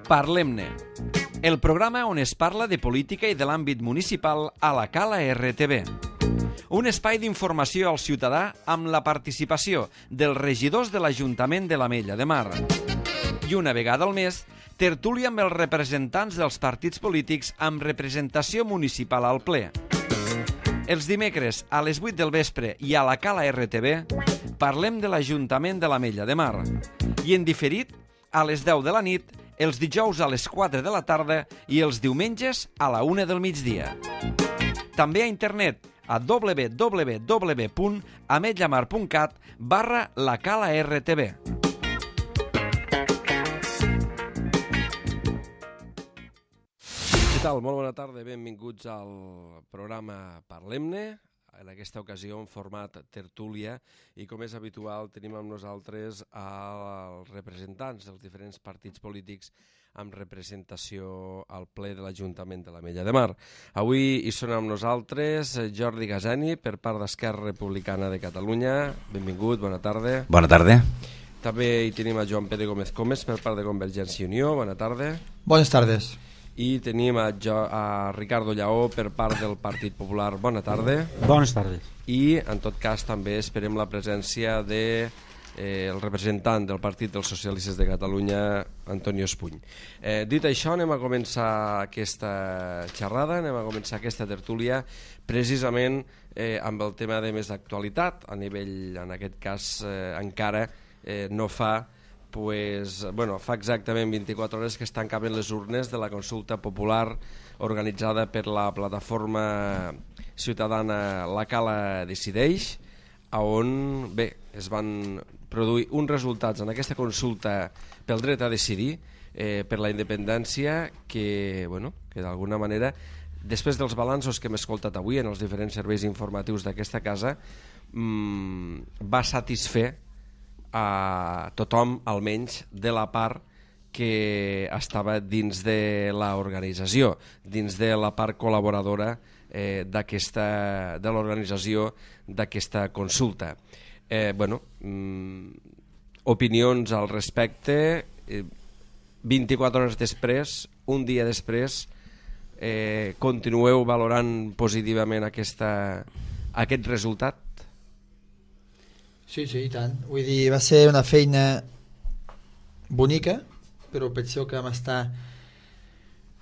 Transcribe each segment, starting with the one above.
Parlem-ne, el programa on es parla de política i de l'àmbit municipal a la Cala RTV. Un espai d'informació al ciutadà amb la participació dels regidors de l'Ajuntament de l'Ametlla de Mar. I una vegada al mes, tertúlia amb els representants dels partits polítics amb representació municipal al ple. Els dimecres a les 8 del vespre i a la Cala RTV parlem de l'Ajuntament de l'Ametlla de Mar. I en diferit, a les 10 de la nit, els dijous a les 4 de la tarda i els diumenges a la 1 del migdia. També a internet a www.ametllamar.cat/lacala-rtv. Què tal? Molt bona tarda, benvinguts al programa Parlem-ne. En aquesta ocasió en format tertúlia i com és habitual tenim amb nosaltres els representants dels diferents partits polítics amb representació al ple de l'Ajuntament de l'Ametlla de Mar. Avui hi són amb nosaltres Jordi Gasani per part d'Esquerra Republicana de Catalunya. Benvingut, bona tarda. Bona tarda. També hi tenim a Joan Pere Gómez Comes per part de Convergència i Unió. Bona tarda. Bones tardes. I tenim a Ricardo Lleó per part del Partit Popular. Bona tarda. Bones tardes. I en tot cas també esperem la presència de el representant del Partit dels Socialistes de Catalunya, Antonio Espuny. Dit això, anem a començar aquesta xerrada, anem a començar aquesta tertúlia precisament amb el tema de més d'actualitat a nivell, en aquest cas encara no fa fa exactament 24 hores que es tancaven les urnes de la consulta popular organitzada per la plataforma ciutadana La Cala Decideix, on es van produir uns resultats en aquesta consulta pel dret a decidir, per la independència, que d'alguna manera, després dels balanços que hem escoltat avui en els diferents serveis informatius d'aquesta casa, va satisfer a tothom, almenys de la part que estava dins de l'organització, dins de la part col·laboradora de l'organització d'aquesta consulta. Opinions al respecte, 24 hores després, un dia després, continueu valorant positivament aquest resultat? Sí, i tant. Vull dir, va ser una feina bonica, però penseu que vam estar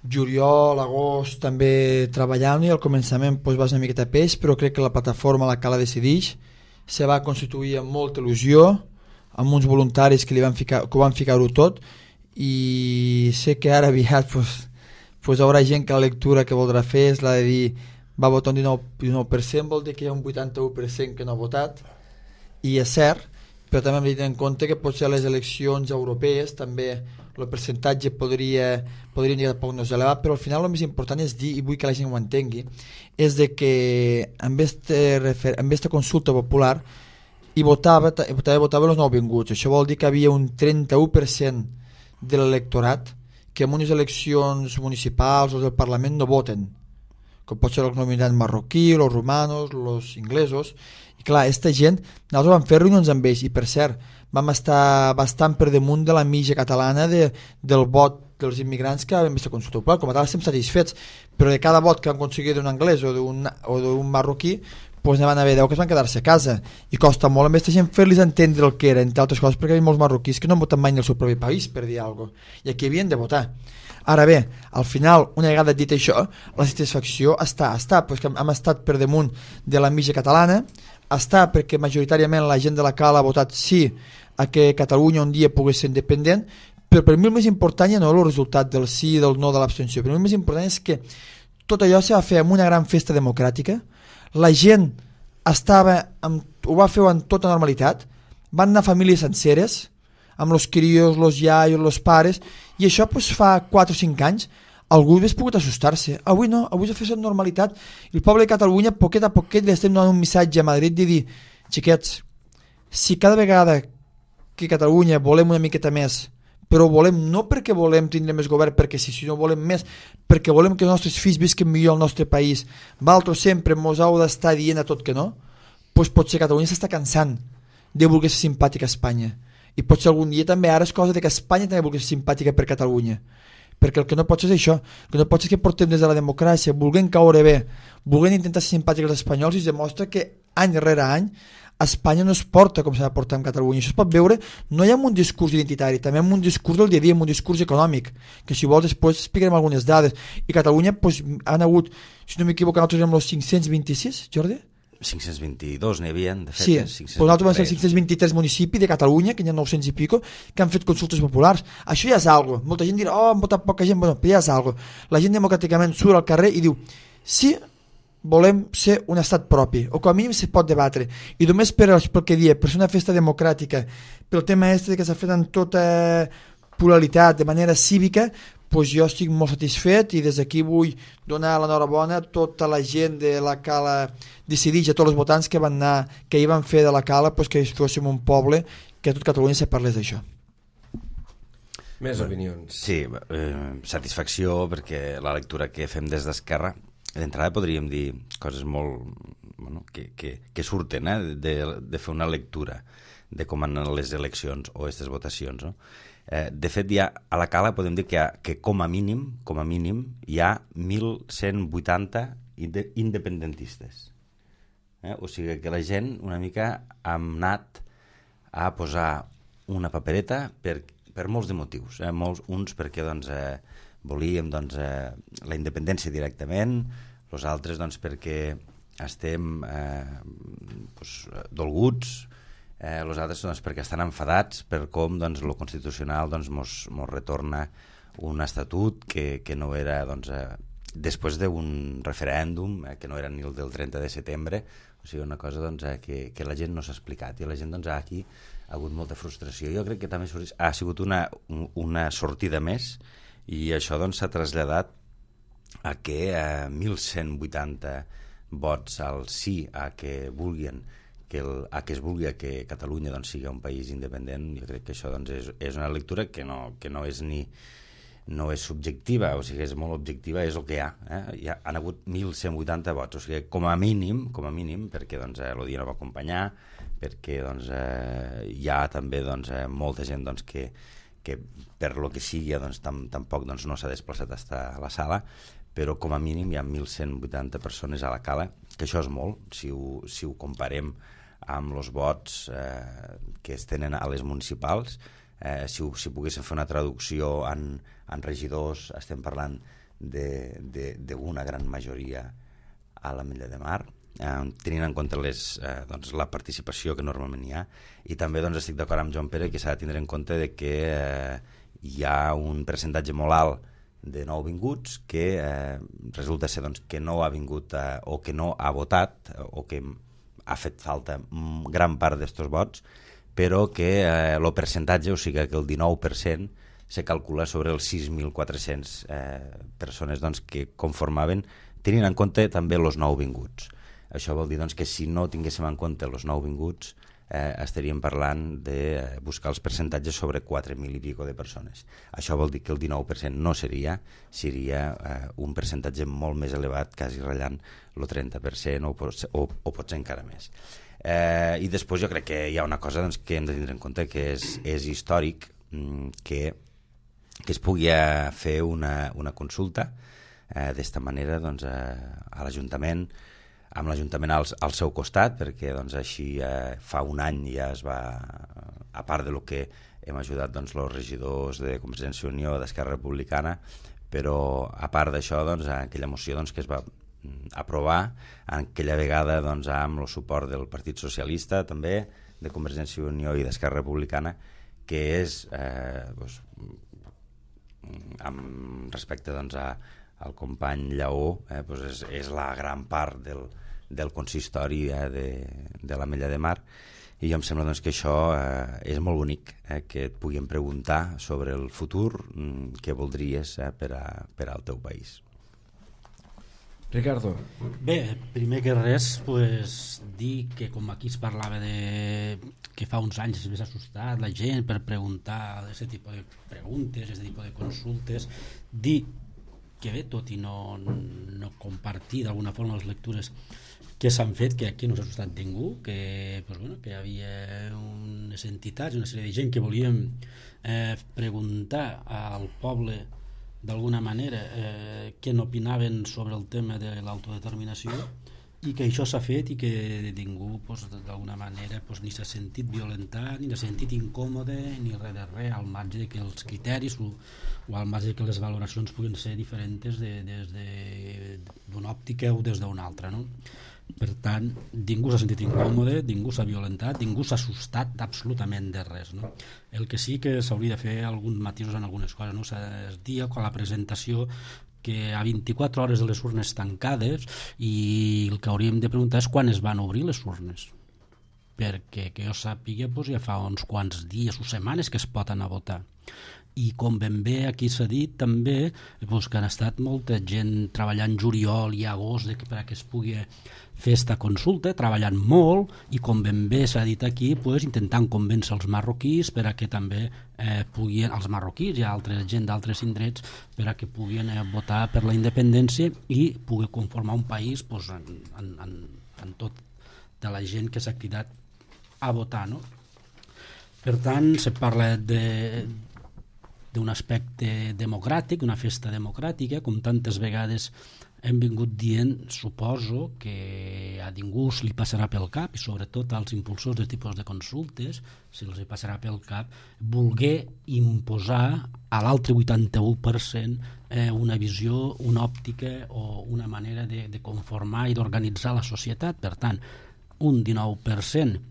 juliol, agost també treballant i al començament va ser una miqueta peix, però crec que la plataforma La Cala Decideix se va constituir amb molta il·lusió, amb uns voluntaris que ho van ficar-ho tot, i sé que ara aviat haurà gent que la lectura que voldrà fer és la de dir va votar un 19%, vol dir que hi ha un 81% que no ha votat, i és cert, però també hem de tenir en compte que potser a les eleccions europees també el percentatge podria indicar poc més elevat, però al final el més important és dir, i vull que la gent ho entengui, és de que amb aquesta consulta popular votava els nouvinguts. Això vol dir que havia un 31% de l'electorat que en unes eleccions municipals o del Parlament no voten, com pot ser els nominats marroquí, els romanos, els inglesos. I clar, aquesta gent, nosaltres vam fer reunions amb ells i per cert, vam estar bastant per damunt de la mitja catalana del vot dels immigrants que vam estar consulta popular. Com a tal estem satisfets, però de cada vot que han aconseguit d'un anglès o d'un marroquí, ne van haver 10 que es van quedar-se a casa, i costa molt a aquesta gent fer-los entendre el que era, entre altres coses perquè hi ha molts marroquís que no han votat mai en el seu propi país, per dir alguna cosa, i aquí havien de votar. Ara bé, al final, una vegada dit això, la satisfacció està perquè hem estat per damunt de la mitja catalana, està perquè majoritàriament la gent de la Cala ha votat sí a que Catalunya un dia pogués ser independent, però per mi el més important ja no és el resultat del sí i del no de l'abstenció. Per mi el més important és que tot allò se va fer amb una gran festa democràtica, la gent ho va fer amb tota normalitat, van anar famílies senceres, amb els crios, els iaios, els pares, i això fa 4 o 5 anys algú hauria pogut assustar-se. Avui no, avui s'ha fet amb normalitat, i el poble de Catalunya poquet a poquet li estem donant un missatge a Madrid de dir, xiquets, si cada vegada que Catalunya volem una miqueta més, però ho volem no perquè volem tindre més govern, perquè si no volem més, perquè volem que els nostres fills visquin millor al nostre país, vosaltres sempre mos heu d'estar dient a tot que no, doncs potser Catalunya s'està cansant de voler ser simpàtic a Espanya, i potser algun dia també ara és cosa de que Espanya també vulgui ser simpàtica per Catalunya, perquè el que no pot ser és això, el que no pot ser és que portem des de la democràcia volent caure bé, volent intentar ser simpàtics als espanyols, i es demostra que any rere any Espanya no es porta com s'ha de portar amb Catalunya. Això es pot veure no ja amb un discurs identitari, també amb un discurs del dia a dia, amb un discurs econòmic, que si vols després explicarem algunes dades. I Catalunya doncs, han hagut, si no m'equivoco, nosaltres érem els 526, Jordi? 522 n'hi havia, de fet. Sí, però nosaltres vam ser 523 municipis de Catalunya, que n'hi ha 900 i pico, que han fet consultes populars. Això ja és algo. Molta gent dirà, han votat poca gent, bueno, però ja és algo. La gent democràticament surt al carrer i diu, sí, volem ser un estat propi, o com a mínim se pot debatre, i només pel que dia, per ser una festa democràtica, pel tema que s'ha fet amb tota pluralitat, de manera cívica, doncs jo estic molt satisfet, i des d'aquí vull donar l'enhorabona a tota la gent de la Cala Decidix, a tots els votants que van anar, que hi van fer de la Cala, doncs que fóssim un poble, que a tot Catalunya se parlés d'això. Més opinions. Sí, satisfacció, perquè la lectura que fem des d'Esquerra, d'entrada podríem dir coses molt que surten de fer una lectura de com han anat les eleccions o aquestes votacions, no? De fet, ja a la Cala podem dir que com a mínim hi ha 1.180 independentistes. O sigui que la gent una mica ha anat a posar una papereta per molts de motius. Uns perquè volíem la independència directament, els altres perquè estem dolguts, els altres perquè estan enfadats per com el Constitucional mos retorna un estatut que no era després d'un referèndum que no era ni el del 30 de setembre, o sigui, una cosa que la gent no s'ha explicat, i la gent aquí ha hagut molta frustració. Jo crec que també ha sigut una sortida més, i això s'ha traslladat a que 1.180 vots al sí a que vulguin que es vulgui que Catalunya sigui un país independent. Jo crec que això és una lectura que no és subjectiva, o sigui, és molt objectiva, és el que hi ha. Hi han hagut 1.180 vots, o sigui, com a mínim, perquè el dia no va acompanyar, perquè hi ha també molta gent que per lo que sigui tampoc no s'ha desplaçat a la sala, però com a mínim hi ha 1.180 persones a la Cala, que això és molt, si ho comparem amb els vots que es tenen a les municipals. Si poguéssim fer una traducció en regidors, estem parlant d'una gran majoria a l'Ametlla de Mar, tenint en compte la participació que normalment hi ha. I també estic d'acord amb Joan Pere que s'ha de tindre en compte que hi ha un percentatge molt alt de nouvinguts que resulta ser que no ha vingut o que no ha votat, o que ha fet falta gran part d'estos vots, però que el percentatge, o sigui que el 19% se calcula sobre els 6.400 persones que conformaven, tenint en compte també els nouvinguts. Això vol dir que si no tinguéssim en compte els nouvinguts estaríem parlant de buscar els percentatges sobre 4.000 i pico de persones. Això vol dir que el 19% no seria un percentatge molt més elevat, quasi ratllant el 30% o potser encara més. I després jo crec que hi ha una cosa que hem de tindre en compte, que és històric que es pugui fer una consulta d'esta manera a l'Ajuntament, amb l'Ajuntament al seu costat, perquè així fa un any ja es va, a part de lo que hem ajudat els regidors de Convergència i Unió, d'Esquerra Republicana, però a part d'això, aquella moció que es va aprovar aquella vegada amb el suport del Partit Socialista, també de Convergència i Unió i d'Esquerra Republicana, que és amb respecte al company Lleó, és la gran part del consistori de l'Ametlla de Mar, i em sembla que això és molt bonic, que et puguin preguntar sobre el futur, què voldries per al teu país. Ricardo. Bé, primer que res, dir que com aquí es parlava que fa uns anys es més assustat la gent per preguntar aquest tipus de preguntes, aquest tipus de consultes, dir que bé, tot i no compartir d'alguna forma les lectures que s'han fet, que aquí no s'ha assustat ningú, que, pues bueno, que hi havia unes entitats, una sèrie de gent que volíem preguntar al poble d'alguna manera què n'opinaven sobre el tema de l'autodeterminació, i que això s'ha fet i que ningú pues, d'alguna manera pues, ni s'ha sentit violentat, ni s'ha sentit incòmode, ni res de res, al marge de que els criteris o al marge de que les valoracions puguin ser diferents des d'una òptica o des d'una altra, no? Per tant, ningú s'ha sentit incòmode, ningú s'ha violentat, ningú s'ha assustat absolutament de res, no? El que sí que s'hauria de fer alguns matisos en algunes coses, no? Es dia quan la presentació que a 24 hores de les urnes tancades, i el que hauríem de preguntar és quan es van obrir les urnes, perquè que jo sàpiga doncs, ja fa uns quants dies o setmanes que es pot anar a votar. I com ben bé aquí s'ha dit també doncs, que han estat molta gent treballant juliol i agost perquè es pugui fer esta consulta, treballant molt, i com ben bé s'ha dit aquí doncs, intentant convèncer els marroquís per a que també puguin, els marroquís i altra gent d'altres indrets, per a que puguin votar per la independència i pugui conformar un país doncs, en tot de la gent que s'ha cridat a votar, no? Per tant, se parla d'un aspecte democràtic, una festa democràtica, com tantes vegades hem vingut dient, suposo que a ningú li passarà pel cap, i sobretot als impulsors de tipus de consultes, si els passarà pel cap, voler imposar a l'altre 81% una visió, una òptica o una manera de conformar i d'organitzar la societat. Per tant, un 19%,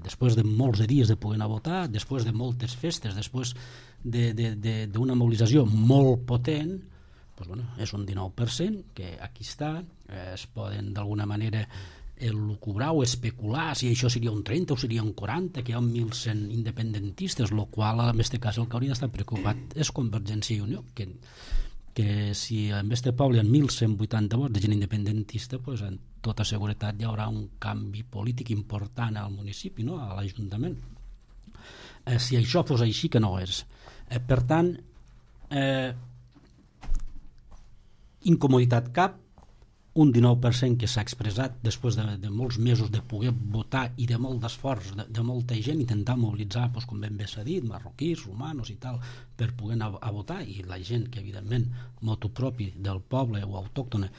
després de molts dies de poder anar a votar, després de moltes festes, després d'una mobilització molt potent, doncs, bueno, és un 19% que aquí està, es poden d'alguna manera elucubrar o especular si això seria un 30 o seria un 40, que hi ha 1.100 independentistes, el qual en aquest cas el que hauria d'estar preocupat és Convergència i Unió, que si en este poble hi ha 1.180 vots de gent independentista, doncs amb tota seguretat hi haurà un canvi polític important al municipi, no? A l'Ajuntament. Si això fos així, que no és. Per tant, incomoditat cap, un 19% que s'ha expressat després de molts mesos de poder votar i de molt d'esforç de molta gent, intentar mobilitzar, doncs, com ben bé s'ha dit, marroquís, romanos i tal, per poder anar a votar, i la gent que evidentment motu propi del poble o autòctona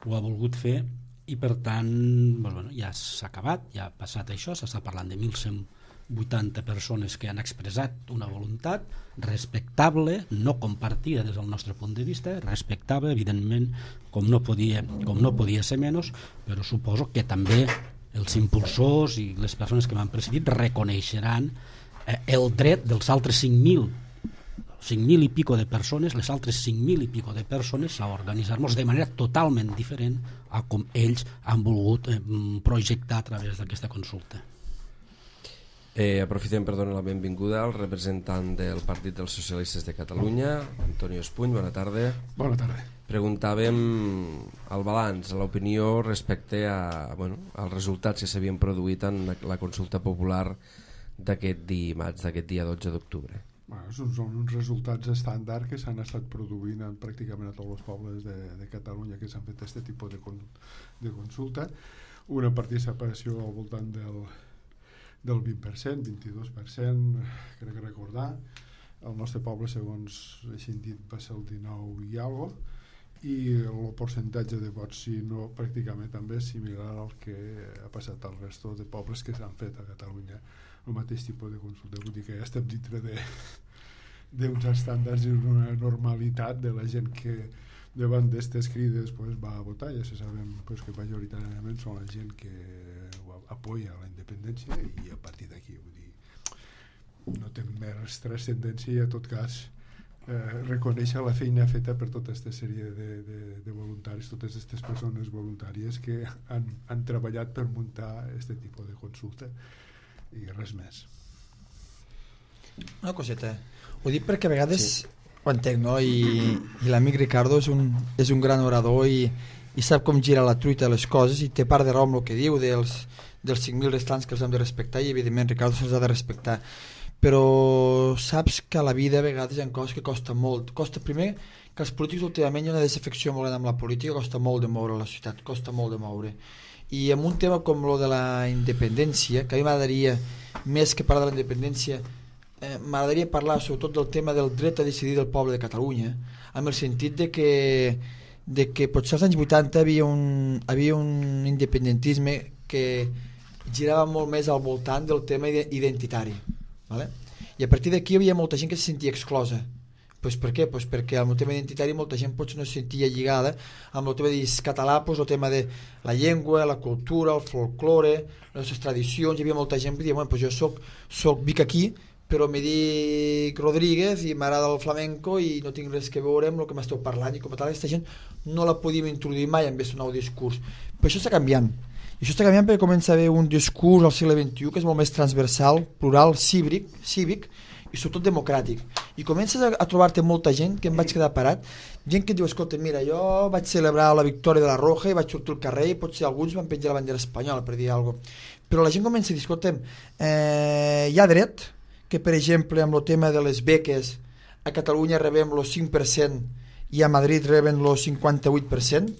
ho ha volgut fer, i per tant doncs, bueno, ja s'ha acabat, ja ha passat això, s'està parlant de 1.180 persones que han expressat una voluntat respectable, no compartida des del nostre punt de vista, respectable, evidentment, com no podia ser menys, però suposo que també els impulsors i les persones que m'han precedit reconeixeran el dret dels altres 5.000 i pico de persones, les altres 5.000 i pico de persones, a organitzar-nos de manera totalment diferent a com ells han volgut projectar a través d'aquesta consulta. Aprofitem per donar la benvinguda al representant del Partit dels Socialistes de Catalunya, Antonio Espuny. Bona tarda. Bona tarda. Preguntàvem el balanç, l'opinió respecte als resultats que s'havien produït en la consulta popular d'aquest dimarts, d'aquest dia 12 d'octubre. Són uns resultats estàndard que s'han estat produint pràcticament a tots els pobles de Catalunya que s'han fet aquest tipus de consulta. Una participació al voltant del 20%, 22%, crec recordar. El nostre poble, segons he sentit, va ser el 19 i alguna cosa, i el percentatge de vots, si no, pràcticament també és similar al que ha passat al resto de pobles que s'han fet a Catalunya, el mateix tipus de consulta. Vull dir que ja estem dintre d'uns estàndards i una normalitat de la gent que davant d'aquestes crides va a votar. Ja sabem que majoritàriament són la gent que apoya la independència, i a partir d'aquí no té més transcendència, i en tot cas reconèixer la feina feta per tota aquesta sèrie de voluntaris, totes aquestes persones voluntàries que han treballat per muntar aquest tipus de consulta, i res més. Una coseta, ho dic perquè a vegades ho entenc, no? I l'amic Ricardo és un gran orador i sap com gira la truita de les coses, i té part de raó amb el que diu dels 5.000 restants que els hem de respectar, i evidentment Ricardo se'ls ha de respectar, però saps que a la vida a vegades hi ha coses que costa molt. Costa primer que els polítics últimament hi ha una desafecció molt gran amb la política, costa molt de moure la societat, costa molt de moure. I en un tema com lo de la independència, que a mi m'agradaria, més que parlar de la independència, m'agradaria parlar sobretot del tema del dret a decidir del poble de Catalunya, amb el sentit de que potser als anys 80 havia un independentisme que girava molt més al voltant del tema identitari, ¿vale? I a partir d'aquí hi havia molta gent que se sentia exclosa. Pues per què? Pues perquè al tema identitari molta gent potser no se sentia lligada amb el tema de català, pues el tema de la llengua, la cultura, el folklore, les nostres tradicions. Hi havia molta gent que deia, bueno, pues jo vic aquí, però me dic Rodríguez i m'agrada el flamenco i no tinc res que veure amb el que m'esteu parlant, i com a tal aquesta gent no la podíem introduir mai en aquest nou discurs. Però això està canviant. I això està canviant perquè comença a haver un discurs al segle XXI que és molt més transversal, plural, cívic i sobretot democràtic. I comences a trobar-te molta gent que em vaig quedar parat, gent que et diu, escolta, mira, jo vaig celebrar la victòria de la Roja i vaig sortir al carrer i potser alguns van penjar la bandera espanyola per dir alguna cosa. Però la gent comença a dir, escolta'm, hi ha dret que, per exemple, amb el tema de les beques, a Catalunya rebem el 5% i a Madrid reben el 58%,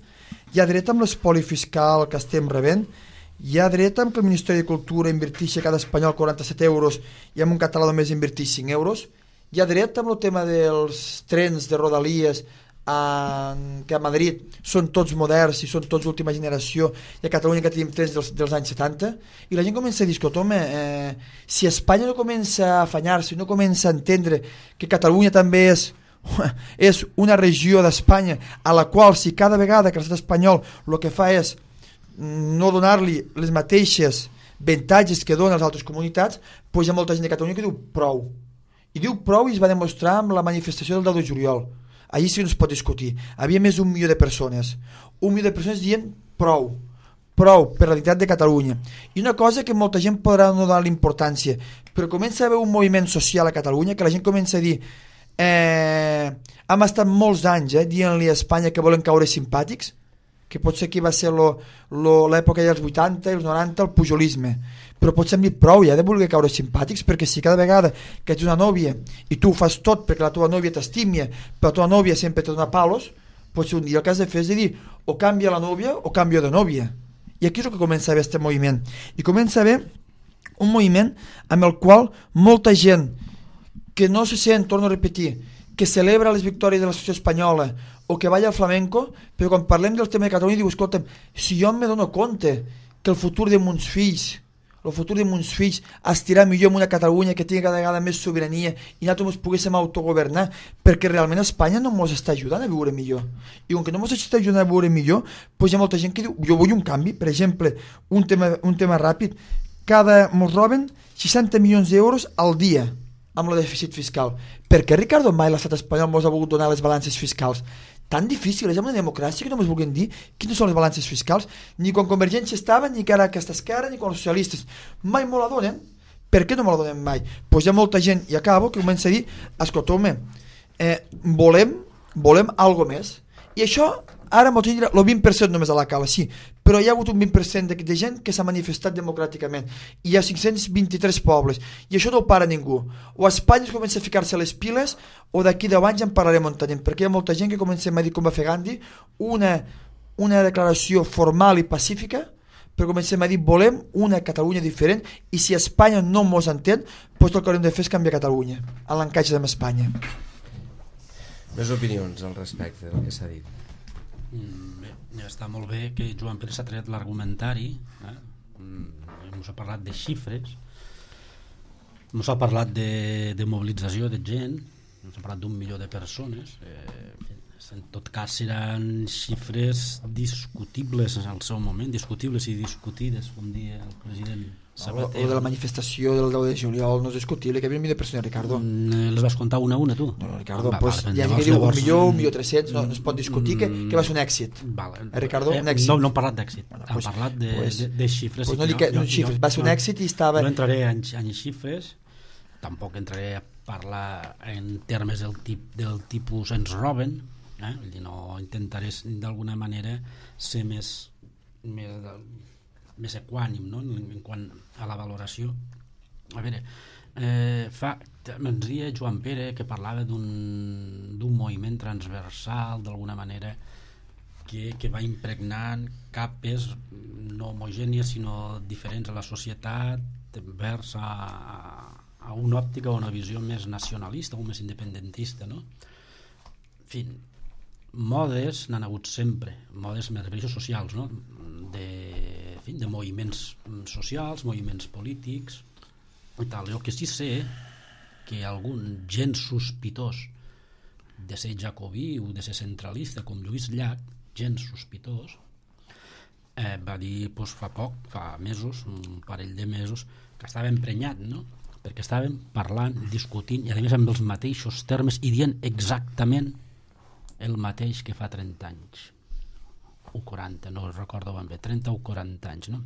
hi ha dret amb l'espoli fiscal que estem rebent, hi ha dret amb que el Ministeri de Cultura inverteixi a cada espanyol 47 euros i amb un català només inverteix 5 euros, hi ha dret amb el tema dels trens de Rodalies que a Madrid són tots moderns i són tots d'última generació i a Catalunya que tenim trens dels anys 70, i la gent comença a dir, escolta, home, si Espanya no comença a afanyar-se, no comença a entendre que Catalunya també és una regió d'Espanya a la qual si cada vegada que l'estat espanyol el que fa és no donar-li les mateixes avantatges que donen a les altres comunitats, doncs hi ha molta gent de Catalunya que diu prou. I diu prou i es va demostrar amb la manifestació del 10 de juliol. Allí sí que no es pot discutir. Havia més d'1 milió de persones. 1 milió de persones dient prou per la dignitat de Catalunya. I una cosa que molta gent podrà no donar l'importància, però comença a haver un moviment social a Catalunya que la gent comença a dir hem estat molts anys dient-li a Espanya que volen caure simpàtics, que potser aquí va ser l'època dels 80 i els 90 el pujolisme, però potser hem dit prou ja de voler caure simpàtics, perquè si cada vegada que ets una nòvia i tu ho fas tot perquè la teva nòvia t'estimia però la teva nòvia sempre te dona palos, potser un dia el que has de fer és de dir o canvia la nòvia o canvio de nòvia. I aquí és el que comença a haver aquest moviment, i comença a haver un moviment amb el qual molta gent que no se sent, torno a repetir, que celebra les victòries de la societat espanyola o que balla al flamenco, però quan parlem del tema de Catalunya diu, escolta'm, si jo me dono compte que el futur de mons fills estirà millor en una Catalunya que tingui cada vegada més sobirania i nosaltres ens poguéssim autogovernar, perquè realment Espanya no ens està ajudant a viure millor. I com que no ens està ajudant a viure millor, doncs hi ha molta gent que diu, jo vull un canvi. Per exemple, un tema ràpid, ens roben 60 milions d'euros al dia amb el dèficit fiscal. Per què, Ricardo, mai l'estat espanyol ens ha volgut donar les balances fiscals? Tan difícil és amb la democràcia que no ens vulguin dir quines són les balances fiscals, ni quan Convergència estava, ni que ara aquesta esquerra, ni quan els socialistes. Mai me la donen. Per què no me la donen mai? Doncs hi ha molta gent, i acabo, que comença a dir, escolta, home, volem algo més. I això, ara m'ho tindrà el 20% només a la cala, sí, però hi ha hagut un 20% de gent que s'ha manifestat democràticament. I hi ha 523 pobles, i això no ho para ningú. O a Espanya es comença a ficar-se les piles, o d'aquí 10 anys en parlarem on tenim, perquè hi ha molta gent que comença a dir, com va fer Gandhi, una declaració formal i pacífica, però comencem a dir, volem una Catalunya diferent, i si Espanya no mos entén, doncs el que haurem de fer és canviar Catalunya, a l'encaix amb Espanya. Més opinions al respecte del que s'ha dit. Bé, està molt bé que Joan Pere s'ha tret l'argumentari, ens ha parlat de xifres, ens ha parlat de mobilització de gent, ens ha parlat d'1 milió de persones, en tot cas seran xifres discutibles en el seu moment, discutibles i discutides, com dia el president Zapatero. O de la manifestació del 10 de juliol no és discutible, que hi havia 1 milió de persones, Ricardo. Les vas comptar una a una, tu? No, Ricardo, pues, hi ha gent que diu 1 milió, 1.300.000, no es pot discutir que va ser un èxit. Ricardo, un èxit. No hem parlat d'èxit, hem parlat de xifres. No dic xifres, va ser un èxit i estava... No entraré en xifres, tampoc entraré a parlar en termes del tipus ens roben, no intentaré d'alguna manera ser més equànim, no? En quant a la valoració. A veure, ens deia Joan Pere que parlava d'un moviment transversal d'alguna manera que va impregnant capes no homogènies sinó diferents a la societat vers a una òptica o una visió més nacionalista o més independentista, no? En fi, modes n'han hagut sempre, modes més socials, no? De moviments socials, moviments polítics i tal. Jo que sí sé que algun gens sospitós de ser jacobí o de ser centralista com Lluís Llach, gens sospitós, va dir fa mesos, un parell de mesos, que estava emprenyat, no? Perquè estàvem parlant, discutint i a més amb els mateixos termes i dient exactament el mateix que fa 30 anys o 40, no recordo ben bé, 30 o 40 anys, no?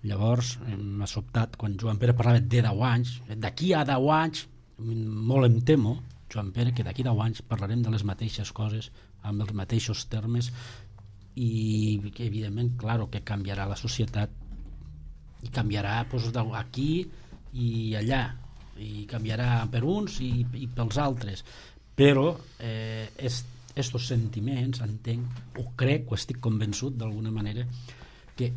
Llavors m'ha sobtat quan Joan Pere parlava de 10 anys, d'aquí a 10 anys molt em temo, Joan Pere, que d'aquí a 10 anys parlarem de les mateixes coses amb els mateixos termes i que evidentment, claro, que canviarà la societat i canviarà aquí i allà i canviarà per uns i pels altres, però estos sentiments entenc o crec o estic convençut d'alguna manera que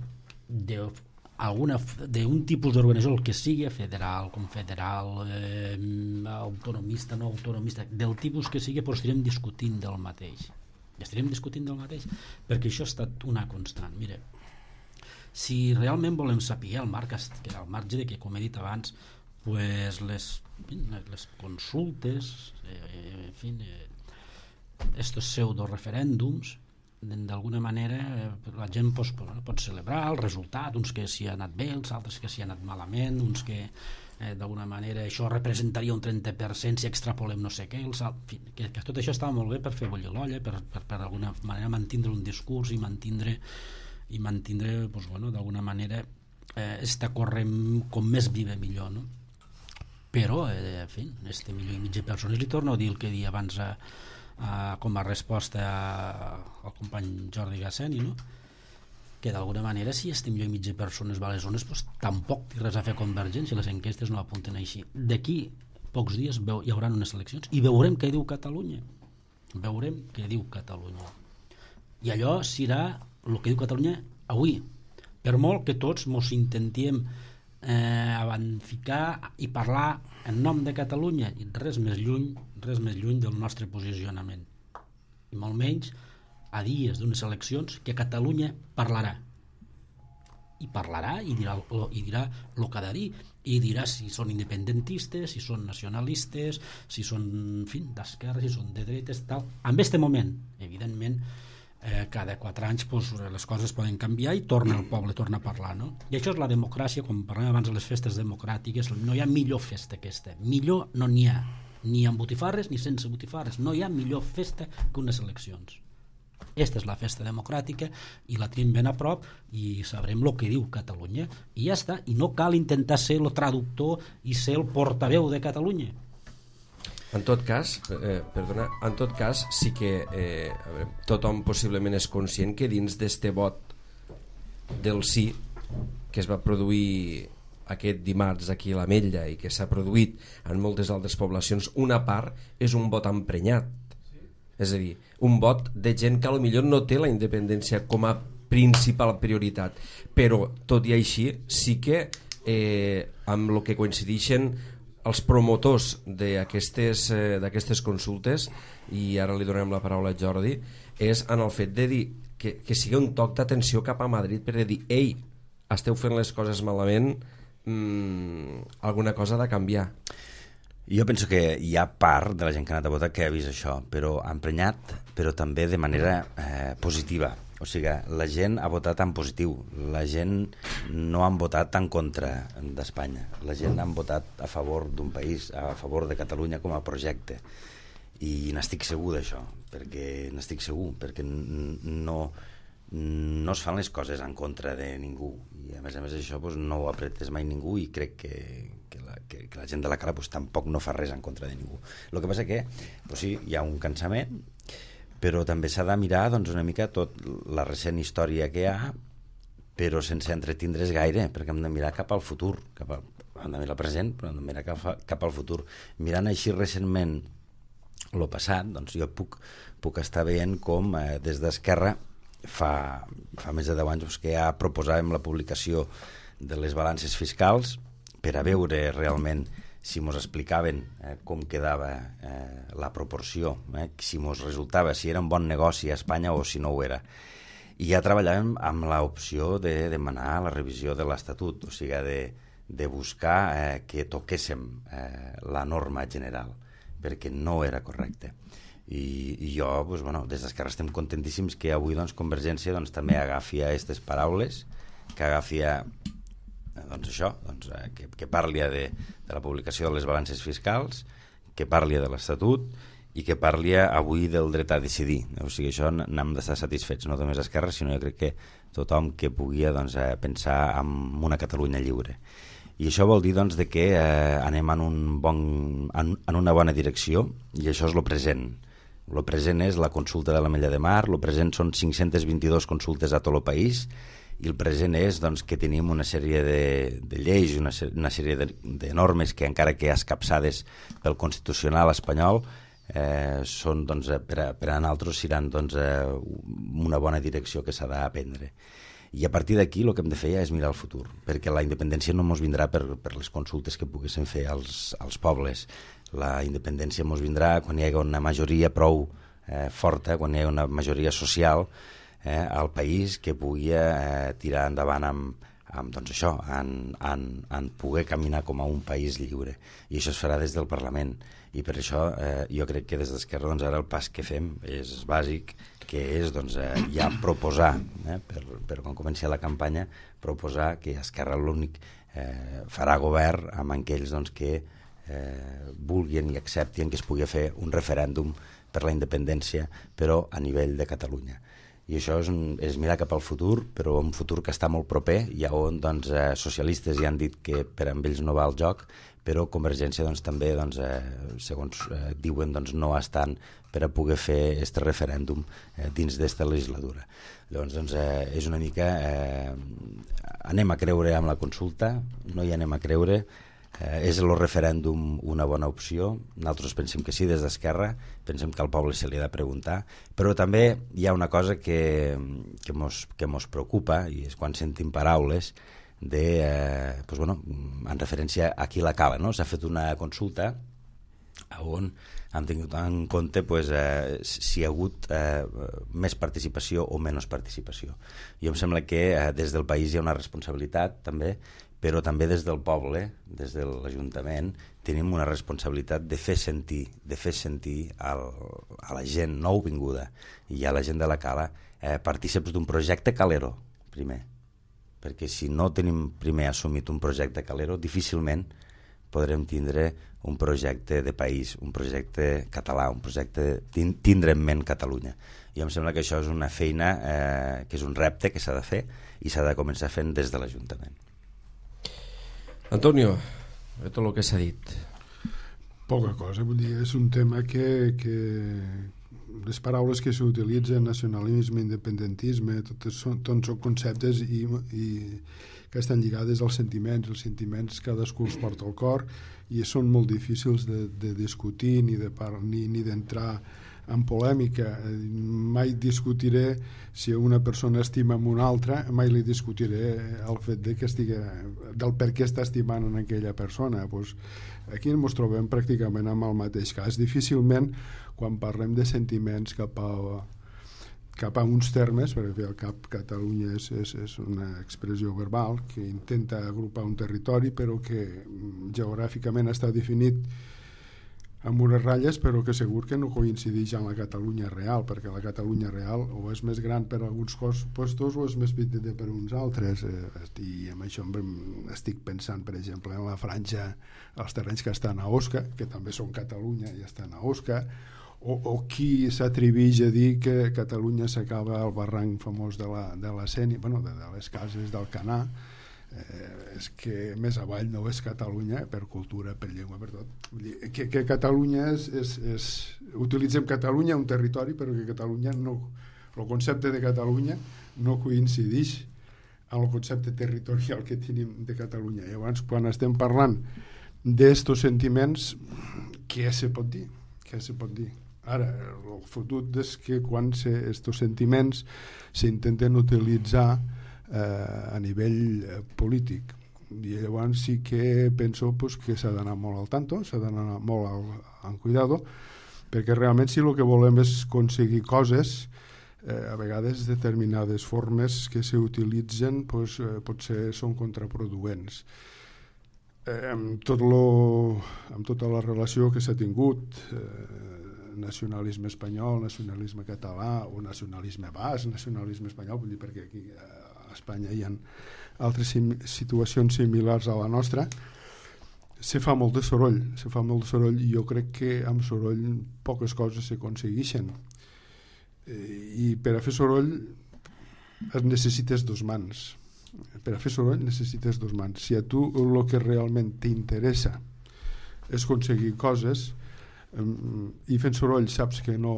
d'un tipus d'organització, el que sigui, federal, confederal, autonomista, no autonomista, del tipus que sigui, però estarem discutint del mateix. Perquè això ha estat una constant. Mira, si realment volem saber al marge de que, com he dit abans, pues les consultes, en fi, estos pseudo-referèndums, d'alguna manera la gent pot celebrar el resultat, uns que s'hi ha anat bé, els altres que s'hi ha anat malament, uns que d'alguna manera això representaria un 30% si extrapolem no sé què, que tot això estava molt bé per fer bullir l'olla, per d'alguna manera mantindre un discurs i mantindre d'alguna manera està corrent com més viva millor, no? Però en fi, este 1,5 milió de persones, li torno a dir el que deia abans com a resposta al company Jordi Gasseni, no? Que d'alguna manera si este 1,5 milió de persones va a les zones, pues, tampoc té res a fer Convergència, les enquestes no apunten així. D'aquí pocs dies hi haurà unes eleccions i veurem què diu Catalunya, i allò serà el que diu Catalunya avui, per molt que tots mos intentem ficar i parlar en nom de Catalunya, i res més lluny del nostre posicionament, i molt menys a dies d'unes eleccions que Catalunya parlarà i dirà el que ha de dir i dirà si són independentistes, si són nacionalistes, si són, en fi, d'esquerra, si són de dretes, tal. En aquest moment, evidentment, cada 4 anys les coses poden canviar i el poble torna a parlar, no? I això és la democràcia, com parlàvem abans de les festes democràtiques. No hi ha millor festa que aquesta, millor no n'hi ha, ni amb botifarres ni sense botifarres, no hi ha millor festa que unes eleccions. Aquesta és la festa democràtica i la tenim ben a prop i sabrem el que diu Catalunya i ja està, i no cal intentar ser el traductor i ser el portaveu de Catalunya. En tot cas, sí que tothom possiblement és conscient que dins d'este vot del sí que es va produir aquest dimarts aquí a l'Ametlla i que s'ha produït en moltes altres poblacions, una part és un vot emprenyat, és a dir, un vot de gent que potser no té la independència com a principal prioritat, però tot i així sí que amb el que coincideixen els promotors d'aquestes consultes, i ara li donem la paraula a Jordi, és en el fet de dir que sigui un toc d'atenció cap a Madrid per dir, ei, esteu fent les coses malament, alguna cosa ha de canviar. Jo penso que hi ha part de la gent que ha anat a votar que ha vist això, però emprenyat, però també de manera positiva. O sigui, la gent ha votat en positiu, la gent no han votat en contra d'Espanya, la gent han votat a favor d'un país, a favor de Catalunya com a projecte, i n'estic segur d'això, perquè no es fan les coses en contra de ningú, i a més això no ho apretes mai ningú, i crec que la gent de la Cala tampoc no fa res en contra de ningú. El que passa que sí, hi ha un cansament, però també s'ha de mirar una mica tot la recent història que hi ha però sense entretindre's gaire, perquè hem de mirar cap al futur, hem de mirar el present, però hem de mirar cap al futur. Mirant així recentment el passat, doncs jo puc estar veient com des d'Esquerra fa més de 10 anys que ja proposàvem la publicació de les balances fiscals per a veure realment si mos explicaven com quedava la proporció, si mos resultava, si era un bon negoci a Espanya o si no ho era. I ja treballàvem amb l'opció de demanar la revisió de l'Estatut, o sigui, de buscar que toquéssim la norma general, perquè no era correcte. I jo, des d'Esquerra estem contentíssims que avui Convergència també agafi aquestes paraules, que agafi això, que parli de la publicació de les balances fiscals, que parli de l'Estatut i que parli avui del dret a decidir. O sigui, això n'hem d'estar satisfets, no només Esquerra, sinó jo crec que tothom que pugui pensar en una Catalunya lliure. I això vol dir que anem en una bona direcció, i això és el present. El present és la consulta de l'Ametlla de Mar, el present són 522 consultes a tot el país, i el present és que tenim una sèrie de lleis, una sèrie de normes que, encara que escapçades pel Constitucional espanyol, són, per a nosaltres seran una bona direcció que s'ha d'aprendre. I a partir d'aquí el que hem de fer és mirar el futur, perquè la independència no ens vindrà per les consultes que poguessin fer als pobles. La independència ens vindrà quan hi hagi una majoria prou forta, quan hi hagi una majoria social al país que pugui tirar endavant amb això, en poder caminar com a un país lliure. I això es farà des del Parlament. I per això jo crec que des d'Esquerra ara el pas que fem és bàsic, que és ja proposar, per quan comenci la campanya, proposar que Esquerra l'únic farà govern amb aquells que vulguin i acceptin que es pugui fer un referèndum per la independència, però a nivell de Catalunya. I això és mirar cap al futur, però un futur que està molt proper, i on socialistes ja han dit que per amb ells no va el joc, però Convergència també, segons diuen, no estan per a poder fer aquest referèndum dins d'esta legislatura. Llavors, és una mica... anem a creure amb la consulta, no hi anem a creure, és el referèndum una bona opció? Nosaltres pensem que sí, des d'Esquerra, pensem que al poble se li ha de preguntar, però també hi ha una cosa que mos preocupa, i és quan sentim paraules en referència a qui la cala, no? S'ha fet una consulta on han tingut en compte si hi ha hagut més participació o menys participació. Jo em sembla que des del país hi ha una responsabilitat també, però també des del poble, des de l'Ajuntament, tenim una responsabilitat de fer sentir a la gent nouvinguda i a la gent de la cala partícips d'un projecte calero, primer. Perquè si no tenim primer assumit un projecte calero, difícilment podrem tindre un projecte de país, un projecte català, un projecte tindre en ment Catalunya. I em sembla que això és una feina que és un repte que s'ha de fer i s'ha de començar fent des de l'Ajuntament. Antonio, tot el que s'ha dit. Poca cosa, vull dir, és un tema que les paraules que s'utilitzen, nacionalisme, independentisme, tots són conceptes i que estan lligades als sentiments. Els sentiments cadascú els porta al cor i són molt difícils de discutir ni d'entrar en polèmica. Mai discutiré si una persona estima amb una altra, mai li discutiré el fet del per què està estimant en aquella persona. Aquí ens trobem pràcticament amb el mateix cas. Difícilment, quan parlem de sentiments cap a uns termes, perquè al cap Catalunya és una expressió verbal que intenta agrupar un territori, però que geogràficament està definit amb unes ratlles, però que segur que no coincideix amb la Catalunya real, perquè la Catalunya real o és més gran per alguns puestos o és més petita per uns altres. I amb això estic pensant, per exemple, en la franja, els terrenys que estan a Osca, que també són Catalunya i estan a Osca, o qui s'atreveix a dir que Catalunya s'acaba al barranc famós de la Sénia, de les cases del Canà. És que més avall no és Catalunya per cultura, per llengua, per tot. Vull dir, que Catalunya utilitzem Catalunya, un territori, però que Catalunya no, el concepte de Catalunya no coincideix amb el concepte territorial que tenim de Catalunya. Llavors, quan estem parlant d'estos sentiments, què se pot dir? Què se pot dir? Ara, el fotut és que quan estos sentiments s'intenten utilitzar a nivell polític. I llavors sí que penso pues, que s'ha d'anar molt al tanto, s'ha d'anar molt en cuidado, perquè realment si el que volem és aconseguir coses, a vegades determinades formes que s'utilitzen pues, potser són contraproduents. Amb tota la relació que s'ha tingut, nacionalisme espanyol, nacionalisme català o nacionalisme basc, nacionalisme espanyol, vull dir perquè aquí a Espanya hi ha altres situacions similars a la nostra, se fa molt de soroll i jo crec que amb soroll poques coses s'aconsegueixen. I per a fer soroll necessites dos mans. Per a fer soroll necessites dos mans. Si a tu el que realment t'interessa és aconseguir coses i fent soroll saps que no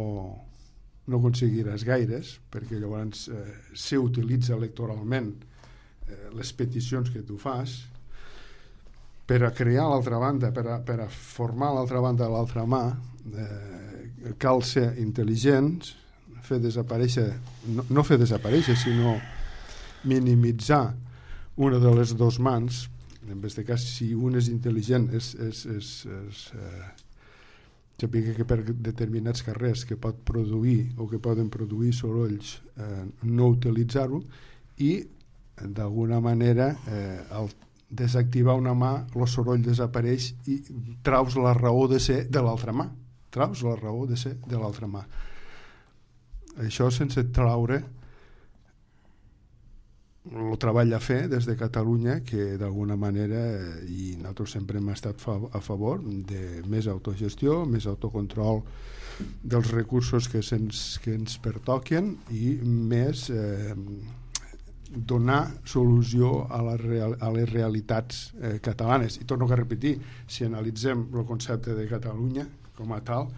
aconseguiràs gaires, perquè llavors s'utilitza electoralment les peticions que tu fas, per a crear l'altra banda, per a formar l'altra banda a l'altra mà, cal ser intel·ligents, fer desaparèixer, no fer desaparèixer, sinó minimitzar una de les dues mans. En aquest cas, si un és intel·ligent, saber que per determinats carrers que pot produir o que poden produir sorolls no utilitzar-ho, i d'alguna manera al desactivar una mà el soroll desapareix i traus la raó de ser de l'altra mà, això sense traure el treball a fer des de Catalunya, que d'alguna manera, i nosaltres sempre hem estat a favor de més autogestió, més autocontrol dels recursos que ens pertoquen i més donar solució a les realitats catalanes. I torno a repetir, si analitzem el concepte de Catalunya com a tal,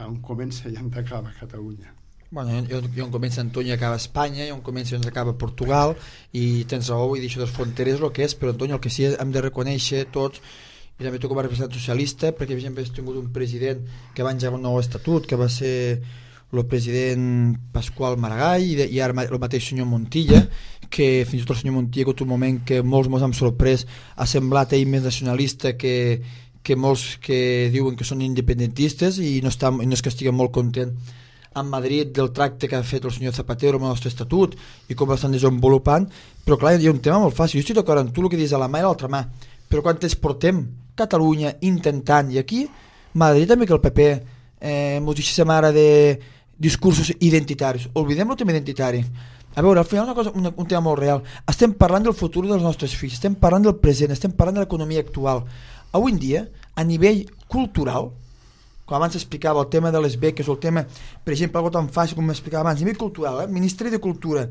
on comença i on acaba Catalunya. Bueno, i on comença Antonio acaba Espanya, i on comença i on acaba Portugal, i tens raó, vull dir, això de les fronteres és el que és, però Antonio, el que sí hem de reconèixer tots, i també tu com a representant socialista, perquè per exemple has tingut un president que va engegar un nou estatut, que va ser el president Pasqual Maragall, i ara el mateix senyor Montilla, que fins i tot el senyor Montilla, que un moment que molts ens han sorprès, ha semblat ell més nacionalista que molts que diuen que són independentistes, i no és que estiguen molt content en Madrid del tracte que ha fet el senyor Zapatero amb el nostre estatut i com l'estan desenvolupant. Però clar, hi ha un tema molt fàcil. Jo estic d'acord amb tu, el que dius a la mà i a l'altra mà, però quan ens portem Catalunya intentant, i aquí Madrid també que el PP ens deixem ara de discursos identitaris, oblidem el tema identitari. A veure, al final un tema molt real, estem parlant del futur dels nostres fills, estem parlant del present, estem parlant de l'economia actual. Avui en dia, a nivell cultural, com abans explicava el tema de les beques, o el tema, per exemple, algo tan fàcil com m'explicava abans, a nivell cultural, el Ministeri de Cultura